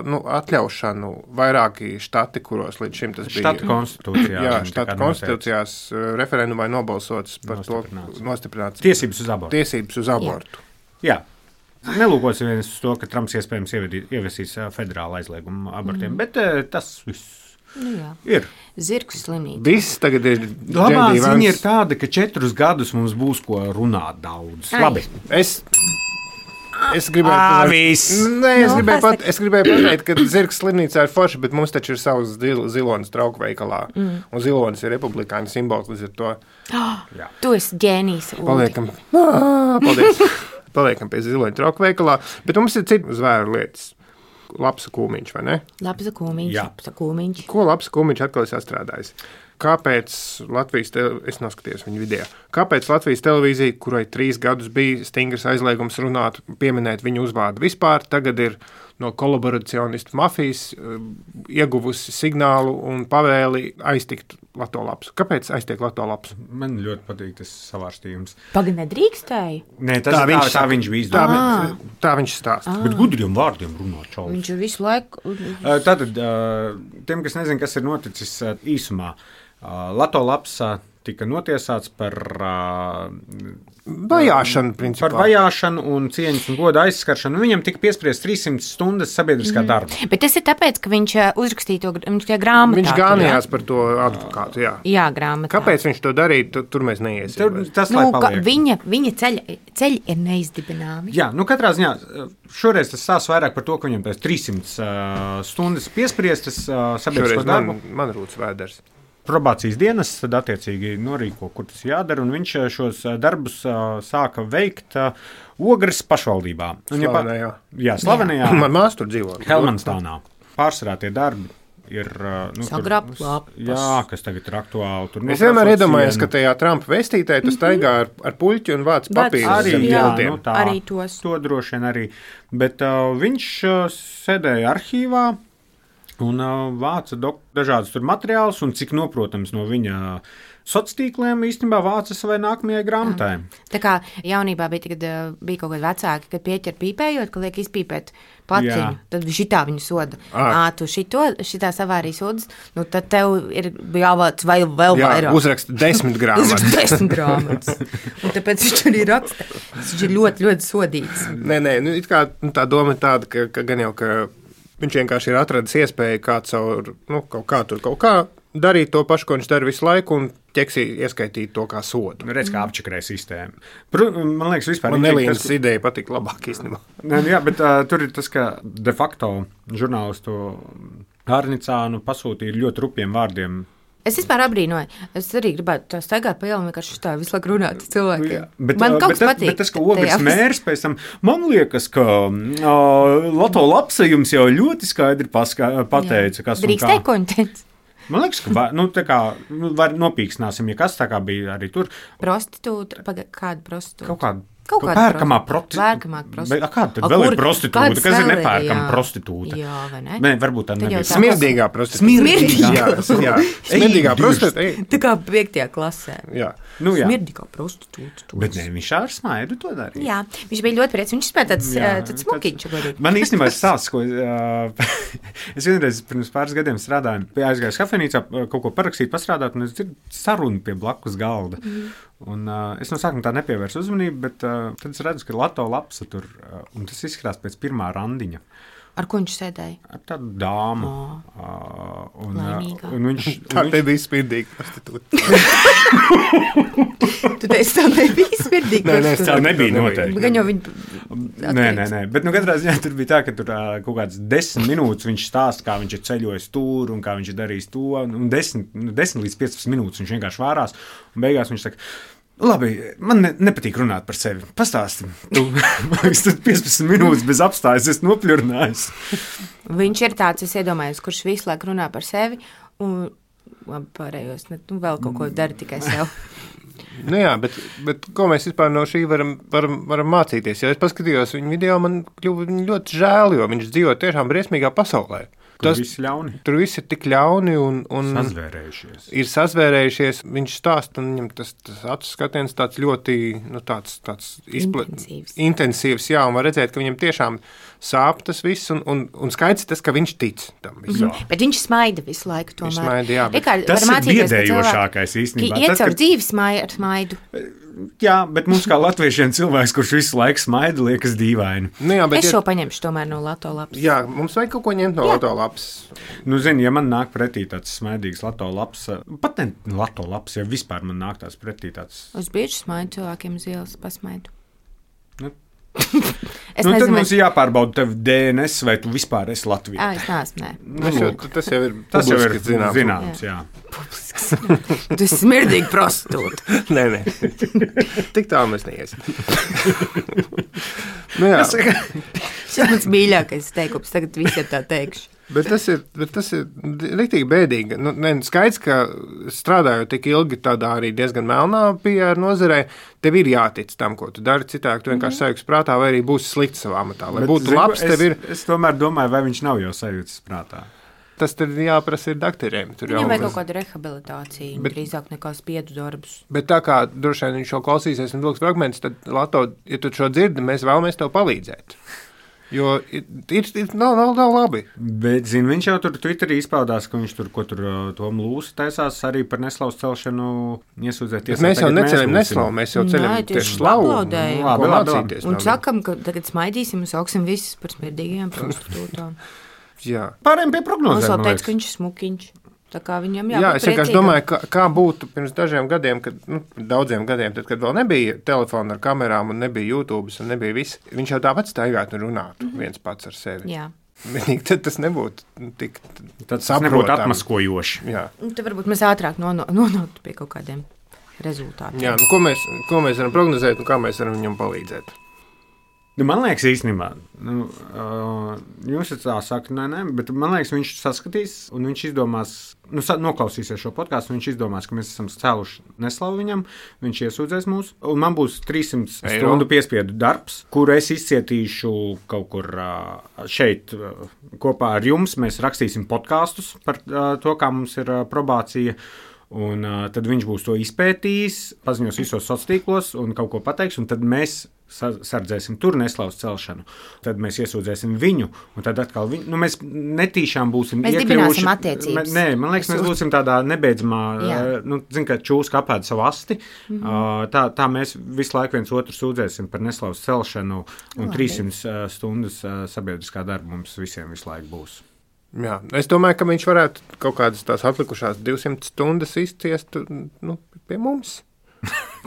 nu, atļaušanu vairāki štati, kuros līdz šim tas bija. Štatu konstitūcijā. Jā, štatu konstitūcijās referendumā ir nobalsots par to nostiprināts. Tiesības uz abortu. Tiesības uz abortu. Jā. Jā. Nelūkosimies uz to, ka Trumps iespējams ieviesīs federālu aizliegumu abortiem, mm. bet tas viss. Nu, jā. Ir. Zirgu slimnīca. Viss tagad ir. Labā ziņa ir tāda, ka četrus gadus mums būs ko runāt daudz. Ai. Labi. Es, es gribēju, Ā, viss. Nē, es, Nu, gribēju pasaka. pat, es gribēju pateikt, ka zirgs slimnīcā ir forši, bet mums taču ir savs zil, zilonis trauku veikalā. Mm. Un zilonis ir republikāņu simbols, līdz ar to Oh, tu esi ģēnijs. Uldi. paliekam. Ā, paldies. Paliekam pie ziloņa trauku veikalā. Bet mums ir citas zvēru lietas. Labs kūmiņš, vai ne? Labs kūmiņš, Jā. labs kūmiņš. Ko labs kūmiņš atkal ir sastrādājis? Kāpēc Latvijas televīzija, es noskatījos viņa video, kāpēc Latvijas televīzija, kurai trīs gadus bija stingrs aizliegums runāt, pieminēt viņu uzvārdu vispār, tagad ir no kolaboracionistu mafijas uh, ieguvusi signālu un pavēli aiztikt Lato Lapsu. Kāpēc aiztiek Lato Lapsu? Man ļoti patīk tas savārstījums. Pagaid, nedrīkstēji. Nē, tas tā, viņš, tā, tā viņš bija Tā, izdarījis. vi- tā viņš stāsta. Bet gudriem vārdiem runā čalis. Viņš ir visu laiku. Uh, Tātad, uh, tiem, kas nezina, kas ir noticis uh, īsumā, uh, Lato Laps uh, tika notiesāts par, uh, Vajāšana, principā. par vajāšanu un cieņas un goda aizskaršanu. Viņam tika piespriezt trīssimtas stundas sabiedriskā Mhm. darba. Bet tas ir tāpēc, ka viņš ā, uzrakstīja to gr- viņš tajā grāmatā. Viņš gānījās par to advokātu, jā. Jā, grāmatā. Kāpēc viņš to darīja, tu, tur mēs neiesim. Tur, tas, Nu, lai ka paliek. viņa viņa ceļi, ceļi ir neizdibināmi. Jā, nu katrā ziņā šoreiz tas stāsta vairāk par to, ka viņam tās trīssimtas uh, stundas piespriestas uh, sabiedrisko Šoreiz darbu. man, man rūts vēders. Probācijas dienas tad attiecīgi norīko, kur tas jādara, un viņš uh, šos uh, darbus uh, sāka veikt uh, Ogres pašvaldībā. Un, ja pa- Slavenajā. Jā, slavenajā Man māsa tur dzīvo. Helmanstānā. Pārsvarā tie darbi ir. uh, Nu, tur- Sagrabt lapas. Jā, kas tagad ir aktuāli. Tur Es vienmēr nokrāsot iedomājos, sienu. ka tajā Trumpa vestītē tu staigā ar, ar puļķi un vāc Vāc papīrus. Arī, zem jā, tiltiem. nu, tā, Arī tos. To droši vien arī. Bet uh, viņš uh, sēdēja arhīvā un uh, vāca dok- dažādus tur materiālus, un cik noprotams no viņa sociāliem tīkliem īstenībā vāca savai nākamajai grāmatai. Tā kā jaunībā bija, kad uh, bija kaut kādi vecāki, kad pieķer pīpējot, ka liek izpīpēt paciņu, Jā. tad šitā viņu soda. Ā. Ā, tu šito, šitā savārī sodas, nu tad tev ir jāvāc vai vēl Jā, vairāk. uzraksta desmit Uzrakst grāmatas. desmit grāmatas. Un tāpēc viņš arī raksta. Viņš ir ļoti, ļoti sodīts. Nē, nē, nu, it kā, nu, tā doma ir tāda, ka, ka gan jau ka viņš vienkārši ir atradis iespēju kā caur, nu, kaut kā tur kaut kā darīt to pašu, ko viņš dara visu laiku, un ķeksī ieskaitīt to kā sodu. Nu, redz, kā apčakarē sistēma. Pru, man liekas, vispār Man interesanti Nelīnas tas, ideja patīk labāk īstenībā. Nē, jā, bet uh, tur ir tas, ka de facto žurnālistu Hārnicānu pasūtīja ļoti rupjiem vārdiem. Es vispār abrīnoju. Es arī gribētu tā staigāt pa ielu, vienkārši tā visu laiku runāt ar cilvēkiem. Bet, Man uh, kaut bet, kas tas- patīk. bet tas, ka Ogres tajā. mērs pēc tam, man liekas, ka uh, Lato Lapsa jums jau ļoti skaidri paska, pateica, kas un Drīkstēja, kā. ko viņi teica? Man liekas, ka va, nu, tā kā nu, var nopīksnāsim, ja kas tā kā bija arī tur. Prostitūta, paga- kāda prostitūta? Kaut kāda. Kaut kāda pērkamā prosti- prostitūta. pērkamā prostitūta. Kāda tad A, vēl kur- ir prostitūta? kādas Kas ir vēl ir? nepērkama Jā. prostitūta? Jā, vai ne? Nē, varbūt tā Tad jau nebija. tā- Smirdīgā prostitūta. Smirdīgā. Jā, jā. Smirdīgā Ej, prostitūta. ej, Tā kā piektajā klasē. Jā. Nu, jā. Smirdīgā prostitūta. tu Bet esi. nē, viņš ar smaidu to darīja. Jā, viņš bija ļoti priecīgs. Viņš spēja tāds, Jā, ā, tāds smukiņš. godīgi. Man īstenībā ir stāsts, ko uh, es vienreiz pirms pāris gadiem strādāju, pie aizgāju kafejnīcā, uh, kaut ko parakstīt, pastrādāt, un es dzirdu sarunu pie blakus galda. Mm. Un, uh, es no sākuma tā nepievērsu uzmanību, bet uh, tad es redzu, ka Lato Lapsa tur, uh, un tas izskatās pēc pirmā randiņa. Ar ko viņš sēdēja? Ar tādu dāmu. O. Uh, un, Laimīgā. uh, un viņš, Tā un te viņš, bija smirdīga prostitūta. Tu teici, tā nebija smirdīga. Nē, nē, es tā ceru, ka nebija tā noteikti. Gan jau viņi. Nē, nē, nē, bet nu, katrā ziņā tur bija tā, ka tur uh, kaut kādas desmit minūtes viņš stāsta, kā viņš ir ceļojis tur un kā viņš ir darījis to. Un desmit, nu, desmit līdz piecpadsmit minūtes viņš vienkārši vārās. Un beigās viņš saka, labi, man ne, nepatīk runāt par sevi. Pastāsti. Tu tad piecpadsmit minūtes bez apstājas, es nopļurnājos. Viņš ir tāds, es iedomājos, kurš visu laiku runā par sevi. Un labi, pārējos, ne, nu, vēl kaut ko dara tikai sev. Nu jā, bet, bet ko mēs vispār no šī varam, varam, varam mācīties? Ja es paskatījos viņu video, man kļuva viņu ļoti žēl, jo viņš dzīvo tiešām briesmīgā pasaulē. Tas Tas, viss ļauni. tur viss ir tik ļauni un, un Sazvērējušies. ir sazvērējušies. Viņš stāsta, un viņam tas, tas acu skatiens tāds ļoti nu, tāds, tāds izpla... Intensīvs. intensīvs. Jā, un var redzēt, ka viņam tiešām sāp tas viss, un, un, un skaidrs tas, ka viņš tic tam visam. Mhm. Bet viņš smaida visu laiku. Tomēr. smaida, jā, bet Rikārd, tas var ir mācīties, ka biedējošākais cilvēki īstenībā. Iet Tas, caur ka- dzīvi smai- ar smaidu. Jā, bet mums kā latviešiem cilvēks, kurš visu laiku smaida, liekas dīvaini. Nu, jā, bet es ja... šo paņemšu tomēr no Lato lapas. Jā, mums vajag kaut ko ņemt no jā. Lato lapas. Nu, zini, ja man nāk pretī tāds smaidīgs Lato lapas, pat ne Lato lapas, ja vispār man nāk tās pretī tāds. Uz bieži smaidu cilvēkiem uz ielas pasmaidu. Nu. Es nu, nezinu, tad mums vai... ir jāpārbauda tev D N S, vai tu vispār esi Latvijā. Jā, es neesmu, nē. Nu, jau, tas jau ir tas jau ir zināms. zināms jā. jā. Publisks. Tu esi smirdīgi prostitūta. Nē, nē. Tik tālu mēs neiesim. Nu, jā. Šis ir mans mīļākais teikums, tagad visiem tā teikšu. Bet tas ir, bet tas ir riktīgi bēdīgi. Nu, ne, skaidrs, ka strādājot tik ilgi tādā arī diezgan melnā P R nozarē, tev ir jātic tam, ko tu dari. Citādi tu vienkārši sajūtas prātā, vai arī būsi slikts savā amatā. Lai bet, būtu zinu, labs, tev ir. Es, es tomēr domāju, vai viņš nav jau sajūtas prātā. Tas tad jāprasa ir doktoriem. Viņam vajag kaut kādu rehabilitāciju, bet, drīzāk nekā spiedu darbus. Bet tā kā droši vien viņš šo klausīsies un vilks fragmentus, tad, Lato, ja tu šo dzirdi, mēs vēlamies tev palīdzēt. Jo ir, ir, ir nav, nav, nav labi. Bet, zini, viņš jau tur Twitterī izpaudās, ka viņš tur, ko tur Tomu Lūsi taisās arī par neslavu celšanu iesūdzēt. Mēs jau neceļam neslavu, mēs jau ceļam tieši slavu. Labi, labi. Un sakam, ka tagad smaidīsim un sauksim visus par smirdīgajām prostitūtām. Jā. Pārējiem pie prognozēm. Mums vēl teica, ka viņš ir smukiņš. Tā kā viņam jābūt Jā, es vienkārši domāju, kā, kā būtu pirms dažiem gadiem, kad, nu, daudziem gadiem, tad, kad vēl nebija telefona ar kamerām un nebija YouTube un nebija viss. Viņš jau tāpat staigātu un runātu mm-hmm. viens pats ar sevi. Jā. Vienīgi tad tas nebūtu tik tad tas nebūtu atmaskojoši. Jā. Tad varbūt mēs ātrāk nonāktu pie kaut kādiem rezultātiem. Jā, nu, ko mēs, ko mēs varam prognozēt un kā mēs varam viņam palīdzēt? Nu, man liekas, īstenībā, nu, uh, jūs tā sakat, nē, nē, bet man liekas, viņš saskatīs un viņš izdomās, nu, noklausīsies šo podkāstu, viņš izdomās, ka mēs esam cēluši neslavu viņam, viņš iesūdzēs mūs, un man būs trīssimts stundu piespiedu darbs, kur es izcietīšu kaut kur uh, šeit uh, kopā ar jums, mēs rakstīsim podkāstus par uh, to, kā mums ir uh, probācija. Un uh, tad viņš būs to izpētījis, paziņos visos sociālos tīklos un kaut ko pateiks, un tad mēs sardzēsim tur neslavas celšanu. Tad mēs iesūdzēsim viņu, un tad atkal viņu, nu mēs netīšām būsim mēs iekļuvuši. Mēs dibināsim attiecības. Nē, man liekas, mēs būsim tādā nebeidzamā, uh, nu, zin, kā čūska apēda savu asti, mm-hmm. uh, tā, tā mēs visu laiku viens otru sūdzēsim par neslavas celšanu, un Labi. trīssimts uh, stundas uh, sabiedriskā darba mums visiem visu laiku būs. Jā, es domāju, ka viņš varētu kaut kādas tās atlikušās divsimt stundas izciest nu, pie mums.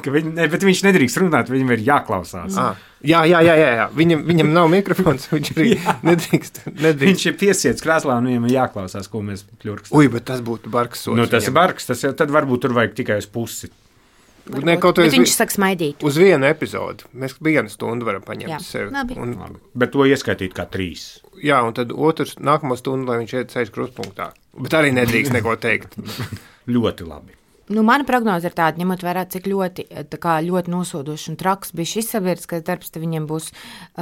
Viņ, ne, bet viņš nedrīkst runāt, viņam ir jāklausās. Ah, jā, jā, jā, jā. Viņam, viņam nav mikrofons, viņš arī nedrīkst, nedrīkst. Viņš ir piesiets krēslā un viņam ir jāklausās, ko mēs pļurkstam. Ui, bet tas būtu bargs sots. Nu, tas viņam. Ir bargs, tas jau, tad varbūt tur vajag tikai uz pusi. Ne, bet viņš saka smaidīt. Uz vienu epizodu. Mēs vienu stundu varam paņemt jā, sevi. Labi. Un, labi. Bet to ieskaitīt kā trīs. Jā, un tad otrs nākamo stundu, lai viņš iet sēž krustpunktā. Bet arī nedrīkst neko teikt. Ļoti labi. Nu, mana prognoze ir tāda, ņemot vērā, cik ļoti, kā, ļoti nosodošs un traks bija šis sabiedriskais darbs, tad viņiem būs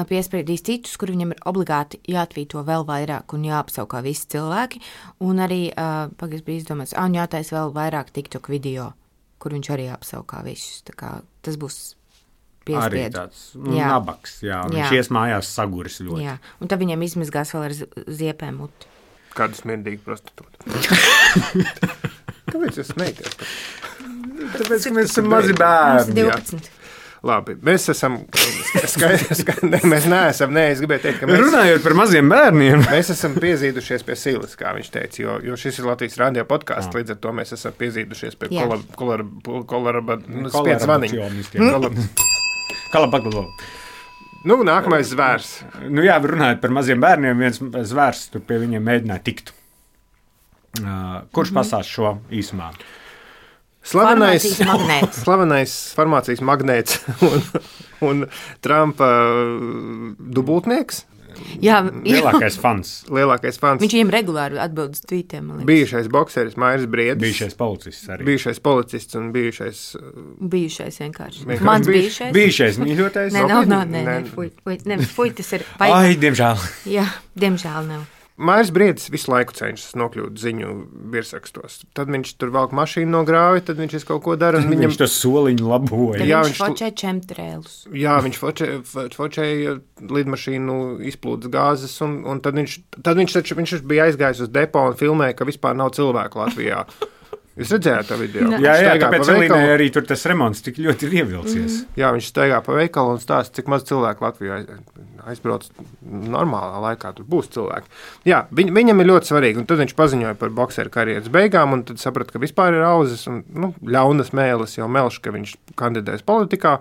piespriedīs citus, kur viņam ir obligāti jāatvīto vēl vairāk un jāapsaukā visi cilvēki. Un arī, pagaids bija izdomāts, un jātais vēl vairāk TikTok video, kur viņš arī apsaukā visus. Tā kā tas būs piespiedu. Arī tāds nu, jā. nabaks, jā. Viņš jā. Ies mājās saguris ļoti. Jā, un tad viņiem izmazgās vēl ar ziepēm muti. Kādu smirdīgu prostitūtu. Kāpēc jūs smējaties? Tāpēc, ka mēs esam mazi bērni. divpadsmit. Labi, mēs esam skaidrs, ka ne, mēs neesam, nē, es gribēju teikt, ka mēs... Runājot par maziem bērniem. Mēs esam piezīdušies pie silas, kā viņš teica, jo, jo šis ir Latvijas radio podcasts, līdz ar to mēs esam piezīdušies pie kolaraba, nu, spiedz zvaniņu. Kalabaglo. Nu, nākamais zvērs. Nu jā, runājot par maziem bērniem, viens zvērs tur pie viņiem mēģināja tikt. Uh, kurš mm-hmm. pasās šo īsumā? Slavenais farmācijas magnēts. Slavenais farmācijas magnēts un, un Trumpa dubultnieks. Jā, lielākais fans. Lielākais fans. Viņš viņiem regulāri atbild uz tvītiem. Bijušais bokseris Mairis Briedis. Bijušais policists arī. Bijušais policists un bijušais... Bijušais vienkārši. vienkārši. Mans bijušais. Bijušais mīļotais. Nē, nav, nav, nē, nē, fuj, fuj, ne, fuj, tas ir... Ai, diemžēl. Jā, diemžēl nav. Mairis Briedis visu laiku cenšas nokļūt ziņu virsrakstos. Tad viņš tur velk mašīnu no grāvi, tad viņš kaut ko dara. Viņam... Viņš to soliņu laboja. Jā, viņš fočē čemtrēlus. Jā, viņš fočē, fočēja lidmašīnu izplūdes gāzes, un, un tad, viņš, tad viņš, taču, viņš bija aizgājis uz depo un filmēja, ka vispār nav cilvēku Latvijā. Jūs redzējāt to video? Ne. Jā, jā, Staigā tāpēc pa veikalu. Elīnai arī tur tas remonts tik ļoti ir ievilcies. Mm. Jā, viņš staigā pa veikalu un stāsta, cik maz cilvēku Latvijā aizbrauc normālā laikā. Tur būs cilvēki. Jā, viņ, viņam ir ļoti svarīgi. Un tad viņš paziņoja par bokseru karjeras beigām, un tad saprata, ka vispār ir auzas un nu, ļaunas mēlis jau melš, ka viņš kandidēs politikā.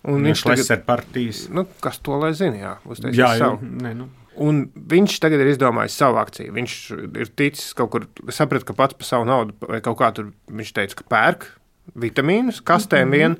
Un Viņš viņš tagad, partijas. nu, kas to lai zina, jā, uztaisīs Jā, jā, savu. ne, nu. Un viņš tagad ir izdomājis savu akciju. Viņš ir ticis kaut kur, saprata, ka pats par savu naudu, vai kaut kā tur viņš teica, ka pērk vitamīnus, kastēm vien,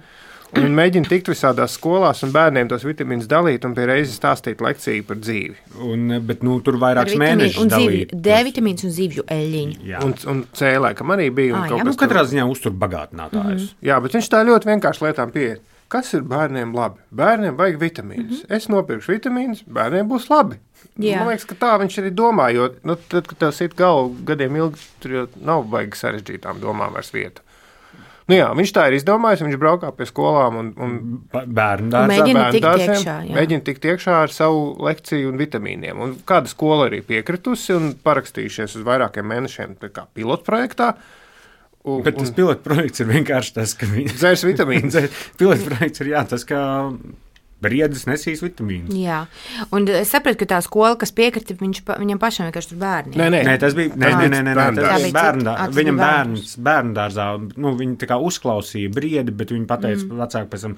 un mēģina tikt visādās skolās un bērniem tos vitamīnus dalīt un pie reizes stāstīt lekciju par dzīvi. Un, bet, nu, tur vairākas Ar vitamīnu mēnešus un zivju, dalīt. D vitamīns un zivju eļļiņu. Jā. Un, un cēlē, kam arī bija. Ā, Un kaut jā, Nu, kas tur- katrā ziņā uztur bagātinātājus. Jā, bet viņš tā ļoti vienkārši lietām pieeja. Kas ir bērniem labi? Bērniem vajag vitamīnus. Mm -hmm. Es nopirkšu vitamīnus, bērniem būs labi. Jā. Man liekas, ka tā viņš arī domā, jo nu, tad, kad tev sit galvu gadiem ilgi, tur jau nav baigi sarežģītām domām vairs vieta. Nu jā, viņš tā ir izdomājis, viņš braukā pie skolām un, un Ba- Bērnu Un dārzā. mēģina bērnu tikt dārziem, iekšā, jā. mēģina tikt iekšā ar savu lekciju un vitamīniem. Un kāda skola arī piekritusi un parakstījušies uz vairākiem mēnešiem tā kā pilotprojektā. Un, Bet tas pilotprojekts ir vienkārši tas, ka viņi dzērs vitamīnus. pilotprojekts ir jā, tas, ka briedis nesīs vitamīnus. Jā, un es sapratu, ka tā skola, kas piekrita, viņš, pa- viņam pašam vienkārši tur bērni. Nē, nē, Nē, tas bija, nē, Tas nē, bija nē, nē, bērnu tas dārzā. bija Tā bija bērnu cita- dārzā. ah, tas Viņam bija bērns, bērnu dārzā, nu, viņi tā kā uzklausīja briedi, bet viņi pateica mm. vecāki pēc tam,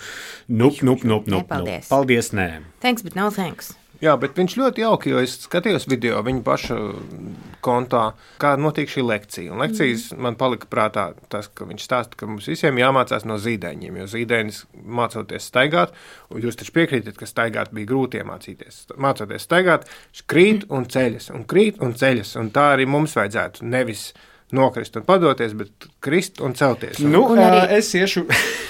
nup, nup, nup, nup, Nepaldies. nup. Paldies, nē. Thanks, bet no thanks. Jā, bet viņš ļoti jauki, jo es skatījos video viņa paša kontā, kā notiek šī lekcija. Un lekcijas mm. man palika prātā tas, ka viņš stāsta, ka mums visiem jāmācās no zīdaiņiem, jo zīdainis mācoties staigāt, un jūs taču piekrītat, ka staigāt bija grūti iemācīties. Mācoties staigāt, viņš krīt un ceļas, un krīt un ceļas, un tā arī mums vajadzētu nevis nokrist un padoties, bet krist un celties. Un, Nu, Un arī- ā, es iešu,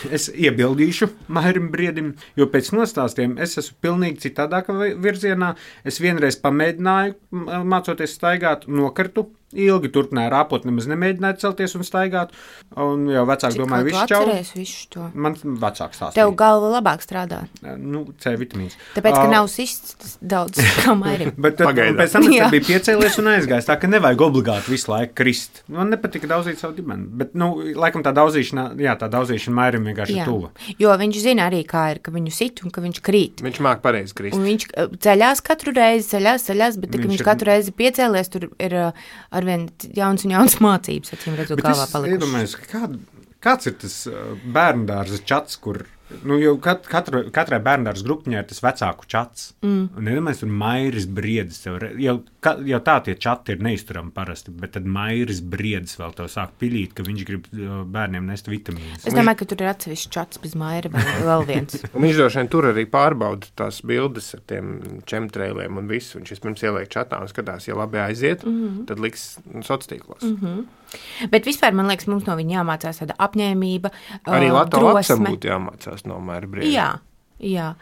es iebildīšu Mairim Briedim, jo pēc nostāstiem es esmu pilnīgi citādākā vi- virzienā. Es vienreiz pamēģināju, m- mācoties staigāt, nokartu. Ilgi turpināju rāpot, nemaz nemēģināju celties un staigāt. Un jau vecāki domāja, Kā tu viss čau. atceries visu to? Man vecāks stāstīja. Tev galva labāk strādā. Nu, C vitamīns. Tāpēc, ka Ā, nav sists daudz kā Mairim. Bet tad, Pagaidām. pēc tam es Jā. tad biju piecēlies un aizgājis. Tā ka nevajag obligāti visu laiku krist. Man nepatika daudzīt savu ģimeni. Bet, nu, laikam tā daudzīšana, jā, tā daudzīšana Mairim vienkārši ir Jā. tuva. Jo viņš zina arī, kā ir, ka viņu sit un ka viņš krīt. viņš māk pareizi krist. Un viņš uh, ceļās katru reizi, ceļās, ceļās, bet tā, ka Viņš viņš ir- katru reizi piecēlies, tur ir uh, arvien jauns un jauns mācības, acīm redzot, Bet galvā es palikušas. iedomājos, ka kād, kāds ir tas uh, bērndārza čats, kur nu, jau kat, katru, katrai bērndārza grupiņai ir tas vecāku čats. Mm. Un iedomājos, tur Mairis Briedis. Tev, re- jau, ka, jau tā tie čati ir neizturami parasti, bet tad Mairis Briedis vēl tev sāk pilīt, ka viņš grib uh, bērniem nest vitamīnus. Es domāju, ka tur ir atsevišķi čats bez Maira vai vēl viens. Un viņš droši vien tur arī pārbauda tās bildes ar tiem čemtrēliem un visu. Viņš vispirms ieliek čatā un skatās, ja labi aiziet, mm -hmm. tad liks sociālos tīklos. Mm -hmm. Bet vispār, man liekas, mums no viņa jāmācās tāda apņēmība, Arī uh, Latvijas lapsam drosme. būtu jāmācās no Maira Brieda. Jā. Jā,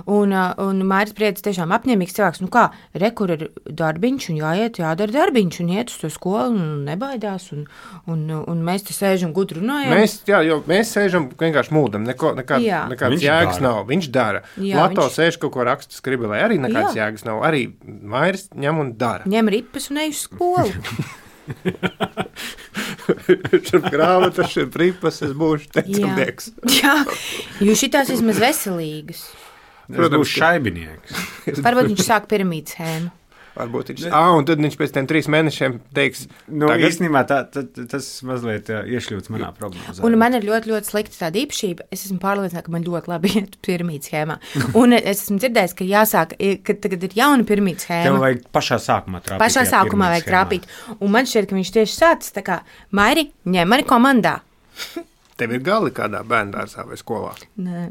un, uh, un Mairis Briedis tiešām apņēmīgs cilvēks. Nu kā, re, kur ir darbiņš, un jāiet, jādara darbiņš, un iet uz to skolu, un nebaidās, un, un, un mēs te sēžam gudri runājam. Mēs, jā, jo mēs sēžam vienkārši mūdam, neko, nekā, Jā. nekādas Viņš jēgas dara. nav. Viņš dara. Jā, Lato viņš- sēž kaut ko raksta skribelē, arī nekādas Jā. jēgas nav. Arī Mairis ņem un dara. Ņem ripas un ej uz skolu. Šur grāmatas, šur pripas, es būšu tecumnieks. Jā, jo šitās vismaz veselīgas. Es Protams, būšu ka- šaibinieks. Varbūt viņš sāk piramīdu schēmu. Varbūt viņš ah, un tad viņš pēc tam trīs mēnešiem teiks, Nu, tagad īstenībā tā, tā, tas mazliet jā, iešļūts manā prognozē. Un man ir ļoti, ļoti slikta tāda īpašība. Es esmu pārliecināta, ka man ļoti labi iet piramīdu schēmā. Un es esmu dzirdējis, ka jāsāk, ka tagad ir jauna piramīdu Tev schēma. vajag pašā sākumā trāpīt. Pašā tajā sākumā vajag piramīdas schēmā. trāpīt. Un man šķiet, ka viņš tieši sācis tā kā Mairi, ņem mani komandā. tev ir gali kādā bērndārzā vai skolā. Nē,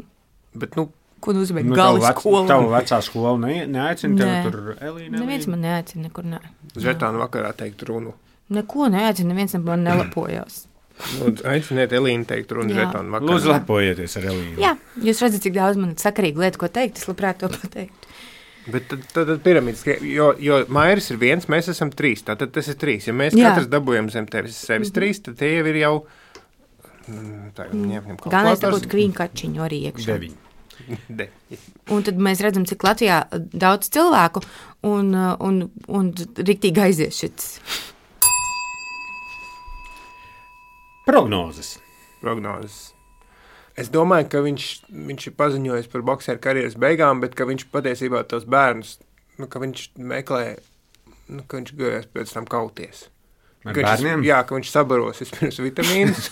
Bet, nu, ko nozīmē Nu, gali tavu vec- skola? Tavu vecā skola ne, neaicina tev Nē. tur Elīna. Neviens man neaicina nekur. Ne. žetānu vakarā teikt runu. Neko neaicina, neviens man nelapojās. Nu, aiciniet Elīnu teikt runu Jā. žetānu vakarā. Lūdzu, lepojieties ar Elīnu. Jā, jūs redzat, cik daudz man ir sakarīgu lietu, ko teikt. Es labprāt to pateiktu. Bet tad, tad, tad piramīdas, jo, jo Mairis ir viens, mēs esam trīs. Tātad tas ir trīs. Ja mēs Jā. katrs dabūjam zem tevis sevis trīs, tad tie jau ir jau. mm, Tā, ņem, ņem Galvenais ir kalkulators. būt kvīnkačiņu arī iekšā. Deviņi. De. Un tad mēs redzam, cik Latvijā daudz cilvēku un, un, un riktīgi aizies šis. Prognozes. Prognozes. Es domāju, ka viņš, viņš ir paziņojis par bokseru karjeras beigām, bet ka viņš patiesībā tos bērnus, nu, ka viņš meklē, nu, ka viņš gājās pēc tam kauties. Ar Ka bērniem? viņš, jā, ka viņš sabaros vispirms vitamīnus.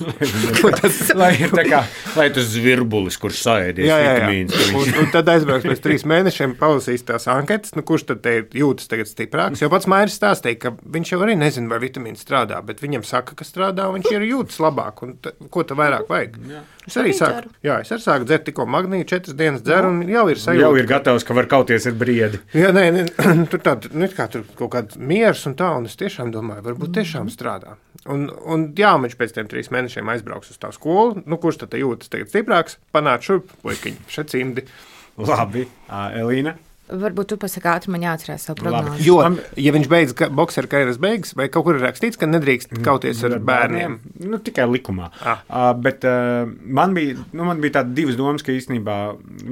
tas, lai ir tā kā, lai tas zvirbulis, kurš saēdies jā, jā, jā. vitamīns. ka Un, Viņš... un tad aizbrauks pēc trīs mēnešiem, palasīs tās anketas, nu, kurš tad te jūtas tagad stiprāks. Jo pats Mairis stāstīja, ka viņš jau arī nezina, vai vitamīns strādā, bet viņam saka, ka strādā, un viņš ir jūtas labāk. Un ta, ko ta vairāk vajag? Jā. Es arī sāku, jā, es arī sāku dzert tikko magnīju, četras dienas dzeru, un jau ir sajūta. Jau ir gatavs, ka var kauties ar briedi. Jā, nē, nē, tur tāda, nu, kā tur kaut kāds miers un tā, un es tiešām domāju, varbūt tiešām strādā. Un, un jā, viņš pēc tiem trīs mēnešiem aizbrauks uz tā skolu, nu, kurš tad jūtas tagad stiprāks, panāc šurp, puikiņi, šeit cimdi. Labi, Ā, Elīna? Varbūt tu pasaki ātri, man jāatcerās savu prognozi. Jo, ja viņš beidz ka, bokseru karjeras beigas, vai kaut kur ir rakstīts, ka nedrīkst kauties ar bērniem? Nu, tikai likumā. Ah. Uh, bet uh, man bija, nu, man bija tāda divas domas, ka īstenībā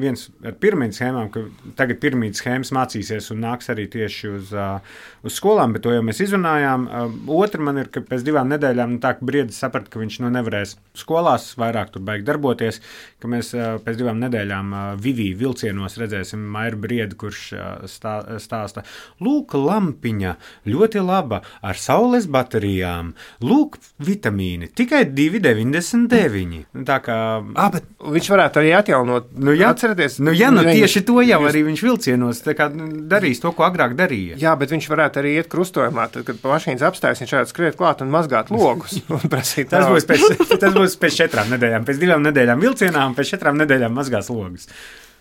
viens ar piramīdas schēmām, ka tagad piramīdas schēmas mācīsies un nāks arī tieši uz, uh, uz skolām, bet to jau mēs izrunājām. Uh, otra man ir, ka pēc divām nedēļām, nu, tā, ka Briedis saprata, ka viņš nu nevarēs skolās vairāk tur baigi darboties, ka mēs uh, pēc divām nedēļām uh, Vivī vilcienos redzēsim Mairu Briedi, kurš stā, stāsta, lūk, lampiņa, ļoti laba, ar saules baterijām, lūk, vitamīni, tikai divi deviņdesmit deviņi. Tā kā... Ah, bet viņš varētu arī atjaunot, nu, jā, atcerieties. Nu, jā, nu, Viņi, tieši to jau jūs... arī viņš vilcienos tā kā darīs to, ko agrāk darīja. Jā, bet viņš varētu arī iet krustojumā, tad, kad pa mašīnas apstājas, viņš varētu skriet klāt un mazgāt logus. Un prasīt tas, naudu. būs pēc, tas būs pēc četrām nedēļām, pēc divām nedēļām vilcienā un pēc četrām nedēļām mazgās logus.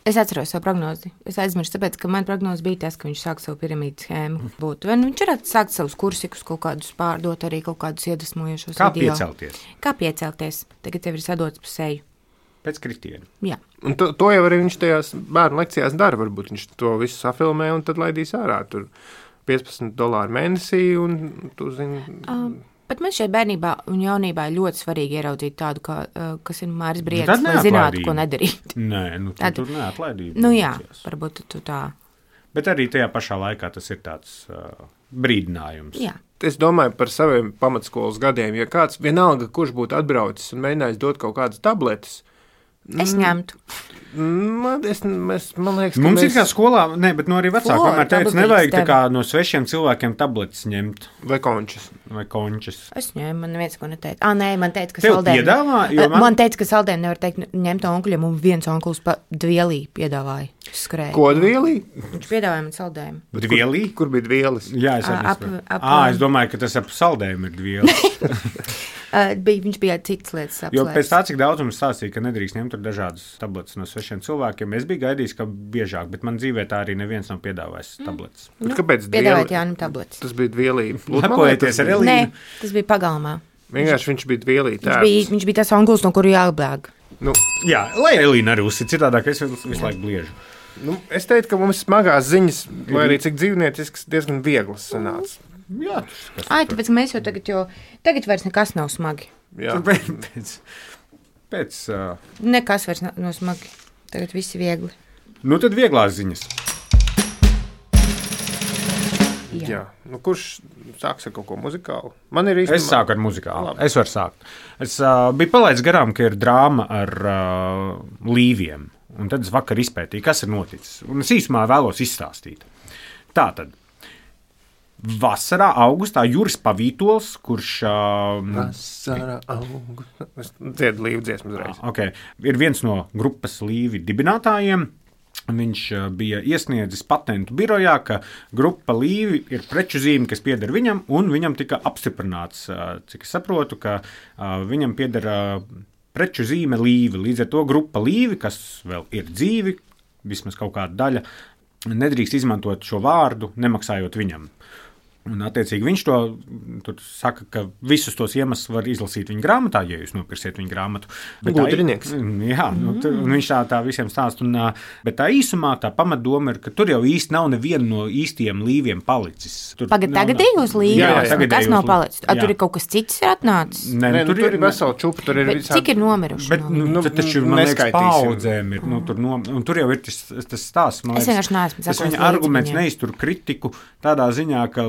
Es atceros savu prognozi. Es aizmirsu, tāpēc, ka man prognoze bija tas, ka viņš sāk savu piramīdas schēmu. Būt. Vai nu viņš varētu sākt savus kursikus, kaut kādus pārdot, arī kaut kādus iedvesmojošos Kā video. piecelties? Kā piecelties? Tagad tev ir sadots pa seju. Pēc kritiena. Jā. Un to, to jau arī viņš tajās bērnu lekcijās dara. Varbūt viņš to visu safilmē un tad laidīs ārā. Tur piecpadsmit dolāri mēnesī un tu zini... Um. Bet man šeit bērnībā un jaunībā ir ļoti svarīgi ieraudzīt tādu, kā, uh, kas ir Māris Briedis, tad lai zinātu, neatlaidība. ko nedarīt. Nē, nu, tu, Tad- tur neatlaidība. Nu jā, mācījās. varbūt tu tā. Bet arī tajā pašā laikā tas ir tāds uh, brīdinājums. Jā. Es domāju par saviem pamatskolas gadiem. Ja kāds vienalga, kurš būtu atbraucis un mēģinājis dot kaut kādas tabletes, Es ņemtu. man, es, mēs, man liekas, ka Mums mēs... ir kā skolā, ne, bet no arī vecāki Flora, vienmēr teica, tabletes nevajag tā tev. kā no svešiem cilvēkiem tabletes ņemt Vai končas. vai končas. Es ņēmu, man neviens ko neteica. Ah, nē, man teica, ka Tev saldējumu. piedāvā, jo man... man- man teica, ka saldējumu nevar teikt ņemt onkuļiem, un viens onkulis pa dvielī piedāvāja. Skrēja. Kodvielī? Viņš piedāvāja man saldējumu. Dvielī? Kur bija dvielis? Jā, es arī Ap- saprotu. ap- Ā, es domāju, ka tas ap saldējumu ir dvieli. Uh, bija, viņš bija citas lietas Jo apslēpts. pēc tā, cik daudz mums stāstīja, ka nedrīkst ņemt tur dažādas tabletes no svešiem cilvēkiem, es biju gaidījis, ka biežāk, bet man dzīvē tā arī neviens nav piedāvājis tabletes. Nu, kāpēc Piedāvājot dvieli? Jānim tabletes. Tas bija dvielī. Lepojieties ar Elīnu. Nē, tas bija pagalmā. Vienkārši viņš bija dvielī. Viņš bija, viņš bija tas onkulis, no kura jābēg. Nu, Jā, lai Elīna arī uzsit, citādāk es visu, visu laiku bliežu. nu, es teiktu, ka mums smagās ziņas, lai arī cik dzīvniecisks, diezgan vieglas sanāca. Jā, tas Ai, tāpēc ka mēs jau tagad, jo tagad vairs nekas nav smagi. Jā. pēc, pēc, pēc uh, Nekas vairs nav, nav smagi. Tagad viss ir viegli. nu tad vieglās ziņas. Jā. Jā. Nu, kurš sāks ar kaut ko muzikālu? Man ir īstenībā... Es sāku ar muzikālu. Labi. Es varu sākt. Es uh, biju palaidis garām, ka ir drāma ar uh, līviem. Un tad es vakar izpētīju, kas ir noticis. Un es īsumā vēlos izstāstīt. Tātad. Vasarā, augustā Juris Pavītols, kurš uh, Vasarā, augustā. Es dziedu līvu dziesmu uzreiz. okay, ir viens no grupas līvi dibinātājiem. Viņš uh, bija iesniedzis patentu birojā, ka grupa līvi ir preču zīme, kas pieder viņam, un viņam tika apstiprināts, uh, cik es saprotu, ka uh, viņam pieder uh, preču zīme līvi. Līdz ar to grupa līvi, kas vēl ir dzīvi, vismaz kaut kāda daļa, nedrīkst izmantot šo vārdu, nemaksājot viņam. Un, attiecīgi, viņš to tur saka, ka visus tos iemeslus var izlasīt viņa grāmatā, ja jūs nopirksiet viņa grāmatu. Bet tā- Gudrinieks. Jā, nu, tur, un viņš tā, tā visiem stāsta. Un, ā, bet tā īsumā tā pamatdoma ir, ka tur jau īsti nav neviena no īstiem līviem palicis. Tur Pagad nav- tagadējos Jā, līnijos, jā, kas tagadējos nav līnijos. palicis. A, Jā. tur ir kaut kas cits ir atnācis. Nē, Nē, nu, nu, tur ir vesela čupa, tur ir Bet visādi... cik ir nomiruši? Bet, no nu, Nu, nu, taču, man liekas, neskaitīsim. paudzēm ir. Nu, tur, no, un tur jau ir tas, tas stāsts. man Es liekas, vienkārši neesmu Tas sekojis viņa līdzi arguments viņiem. neiztur kritiku tādā ziņā, ka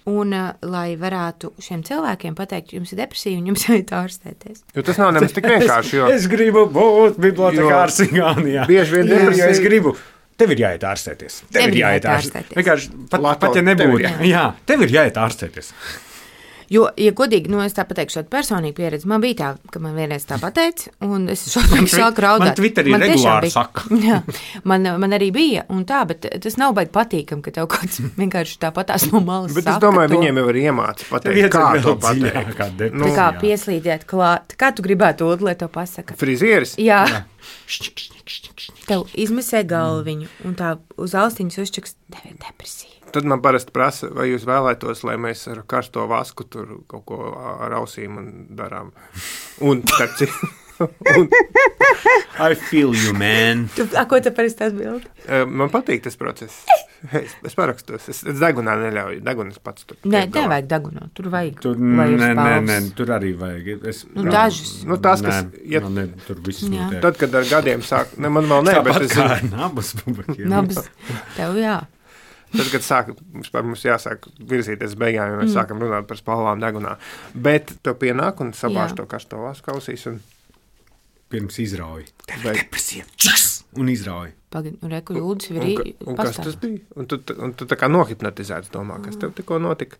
Un, uh, lai varētu šiem cilvēkiem pateikt, jums ir depresija un jums jāiet ārstēties. Jo tas nav nemaz tik vienkārši. Jo... es gribu būt bibliotekārs Igaunijā. Bieži vien depresija. Es gribu. Tev ir jāiet ārstēties. Tev, tev ir jāiet ārstēties. Vienkārši pat, Lato, pat ja nebūtu. Tev ir, jā. jā, tev ir jāiet ārstēties. Jo, ja godīgi, nu, es tā pateikšu, tādu personīgu pieredzi, man bija tā, ka man vienreiz tā pateica, un es šodien sāku raudāt. Man Twitterī man regulāri bija, saka. Jā, man, man arī bija, un tā, bet tas nav baigi patīkam, ka tev kāds vienkārši tāpatās no malas bet saka. Bet es domāju, to. viņiem jau ir iemāci pateikt, kā to pateikt. Kā nu, tā kā pieslīdēt klāt. Kā tu gribētu, Ulu, lai to pasaka? Frizieris? Jā. Jā. Tev izmisē galviņu, un tā uz austiņas uzčaks, tev ir depresija. Tad man parasti prasa, vai jūs vēlētos, lai mēs ar karsto vasku tur kaut ko ar ausīm un darām. Un starp citu. un... I feel you, man. Tu, a, ko tu parasti atbildi? Man patīk tas process. Es, es parakstos. Es, es degunā neļauju. Degunis pats tur. Nē, tev vajag degunā. Tur vajag. Tur, nē, nē, nē, tur arī vajag. Es, nu, dažas. Nu, tas, kas... Nē, ja, ne, tur viss notiek. Tad, kad ar gadiem sāk... Ne, man vēl ne, Tāpat bet es... kā nabas pubakiem. Nabas. Tev jā. Tad, kad sāk, mums jāsāk virzīties beigām, ja mēs mm. sākam runāt par spalvām degunā. Bet tev pienāk un sabāž to karsto vasku ausīs un... Pirms izrauj. Tev Vai... depresija. Čas! Un izrauj. Pagad, un reku jūdas ir pastāv. Un kas tas bija? Un tu, un tu tā kā nohipnotizēts domā, kas tev tikko notika.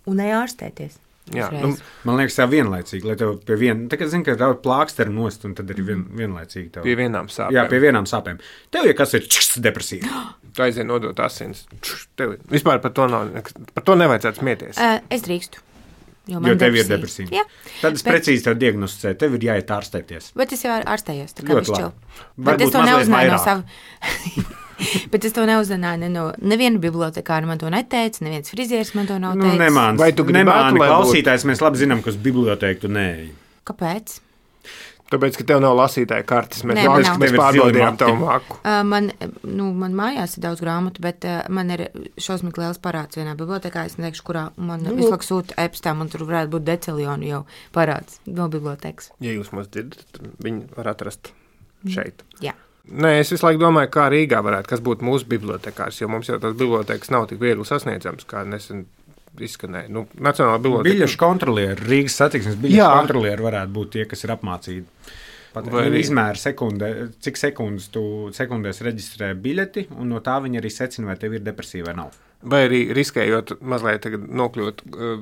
Un neārstēties. Jā, nu, man liekas, tā vienlaicīgi, lai tev pie viena, tā kā zini, ka rauj plāksteri nost, un tad arī vien, vienlaicīgi tev. Pie vienām sāpēm. Jā, pie vienām sāpēm. Tev, ja kas ir čs, depresija. Tu aizien nodot asins. Čš, tev vispār par to nav, par to nevajadzētu smieties. Uh, es drīkstu. Jo, jo tev depresija. Ir depresija. Jā. Tad es bet... precīzi tev diagnosticēju, tev ir jāiet ārstēties. Bet es jau ārstējos, tā kā ļoti višķil. Bet Varbūt es to neuzzināju no savu... Bet es to neuzzināju ne no neviena bibliotekāra man to neteica, neviens frizieris man to nav teicis. Nu, nemāni, vai tu gribētu, lai klausītājs, mēs labi zinām, ka uz bibliotēku tu neeji. Kāpēc? Tāpēc, ka tev nav lasītāja kartes, mēs, Nē, mākis, mēs pārbaudījām tavu māku. Uh, man, nu, man mājās ir daudz grāmatu, bet uh, man ir šausmīgi liels parāds vienā bibliotekā. Es neteikšu, kurā man nu, visu laiku sūta e-pastā, man tur varētu būt decilionu jau parāds no bibliotekas. Ja jūs mums dzirdat, tad viņi var atrast šeit. Jā. Nē, es visu laiku domāju, kā Rīgā varētu, kas būtu mūsu bibliotekārs, jo mums jau tās bibliotekas nav tik viegli sasniedzams, kā nesen izskanēja. Nu, Nacionālā biblioteka. Biļešu kontrolieri, Rīgas satiksmes biļešu kontrolieri varētu būt tie, kas ir apmācīti. Pat arī izmēra sekundē, cik sekundes tu sekundēs reģistrē biļeti, un no tā viņi arī secina, vai tev ir depresija vai nav. Vai arī riskējot mazliet tagad nokļūt uh,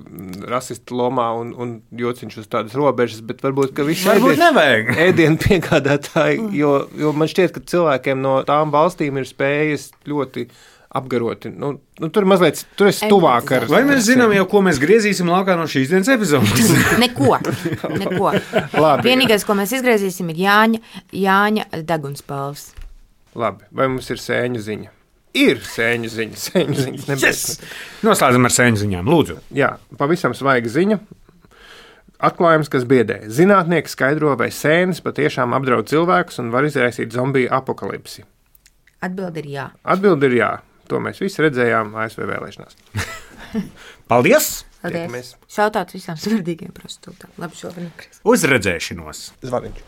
rasistu lomā un, un jociņš uz tādas robežas, bet varbūt, ka visi ēdienu, ēdienu piegādātāji, jo, jo man šķiet, ka cilvēkiem no tām valstīm ir spējas ļoti apgaroti. Nu, nu, tur mazliet, tur es tuvāk ar... Vai mēs zinām jau, ko mēs griezīsim laukā no šīs dienas epizodes? Neko, neko. Labi. Vienīgais, ko mēs izgriezīsim, ir Jāņa, Jāņa degunspalvs. Labi, vai mums ir sēņu ziņa? Ir sēņu ziņa, sēņu ziņas nebēs. Yes! Noslēdzam ar sēņu ziņām, lūdzu. Jā, pavisam svaiga ziņa. Atklājums, kas biedē. Zinātnieki skaidro, vai sēnes patiešām apdraud cilvēkus un var izraisīt zombiju apokalipsi. Atbildi ir jā. Atbildi ir jā. To mēs visi redzējām A S V vēlēšanās. Paldies! Paldies! Šautāt visām smardīgiem prostitūtām. Labi, šovien. Uz redzēšanos! Zvaniņš.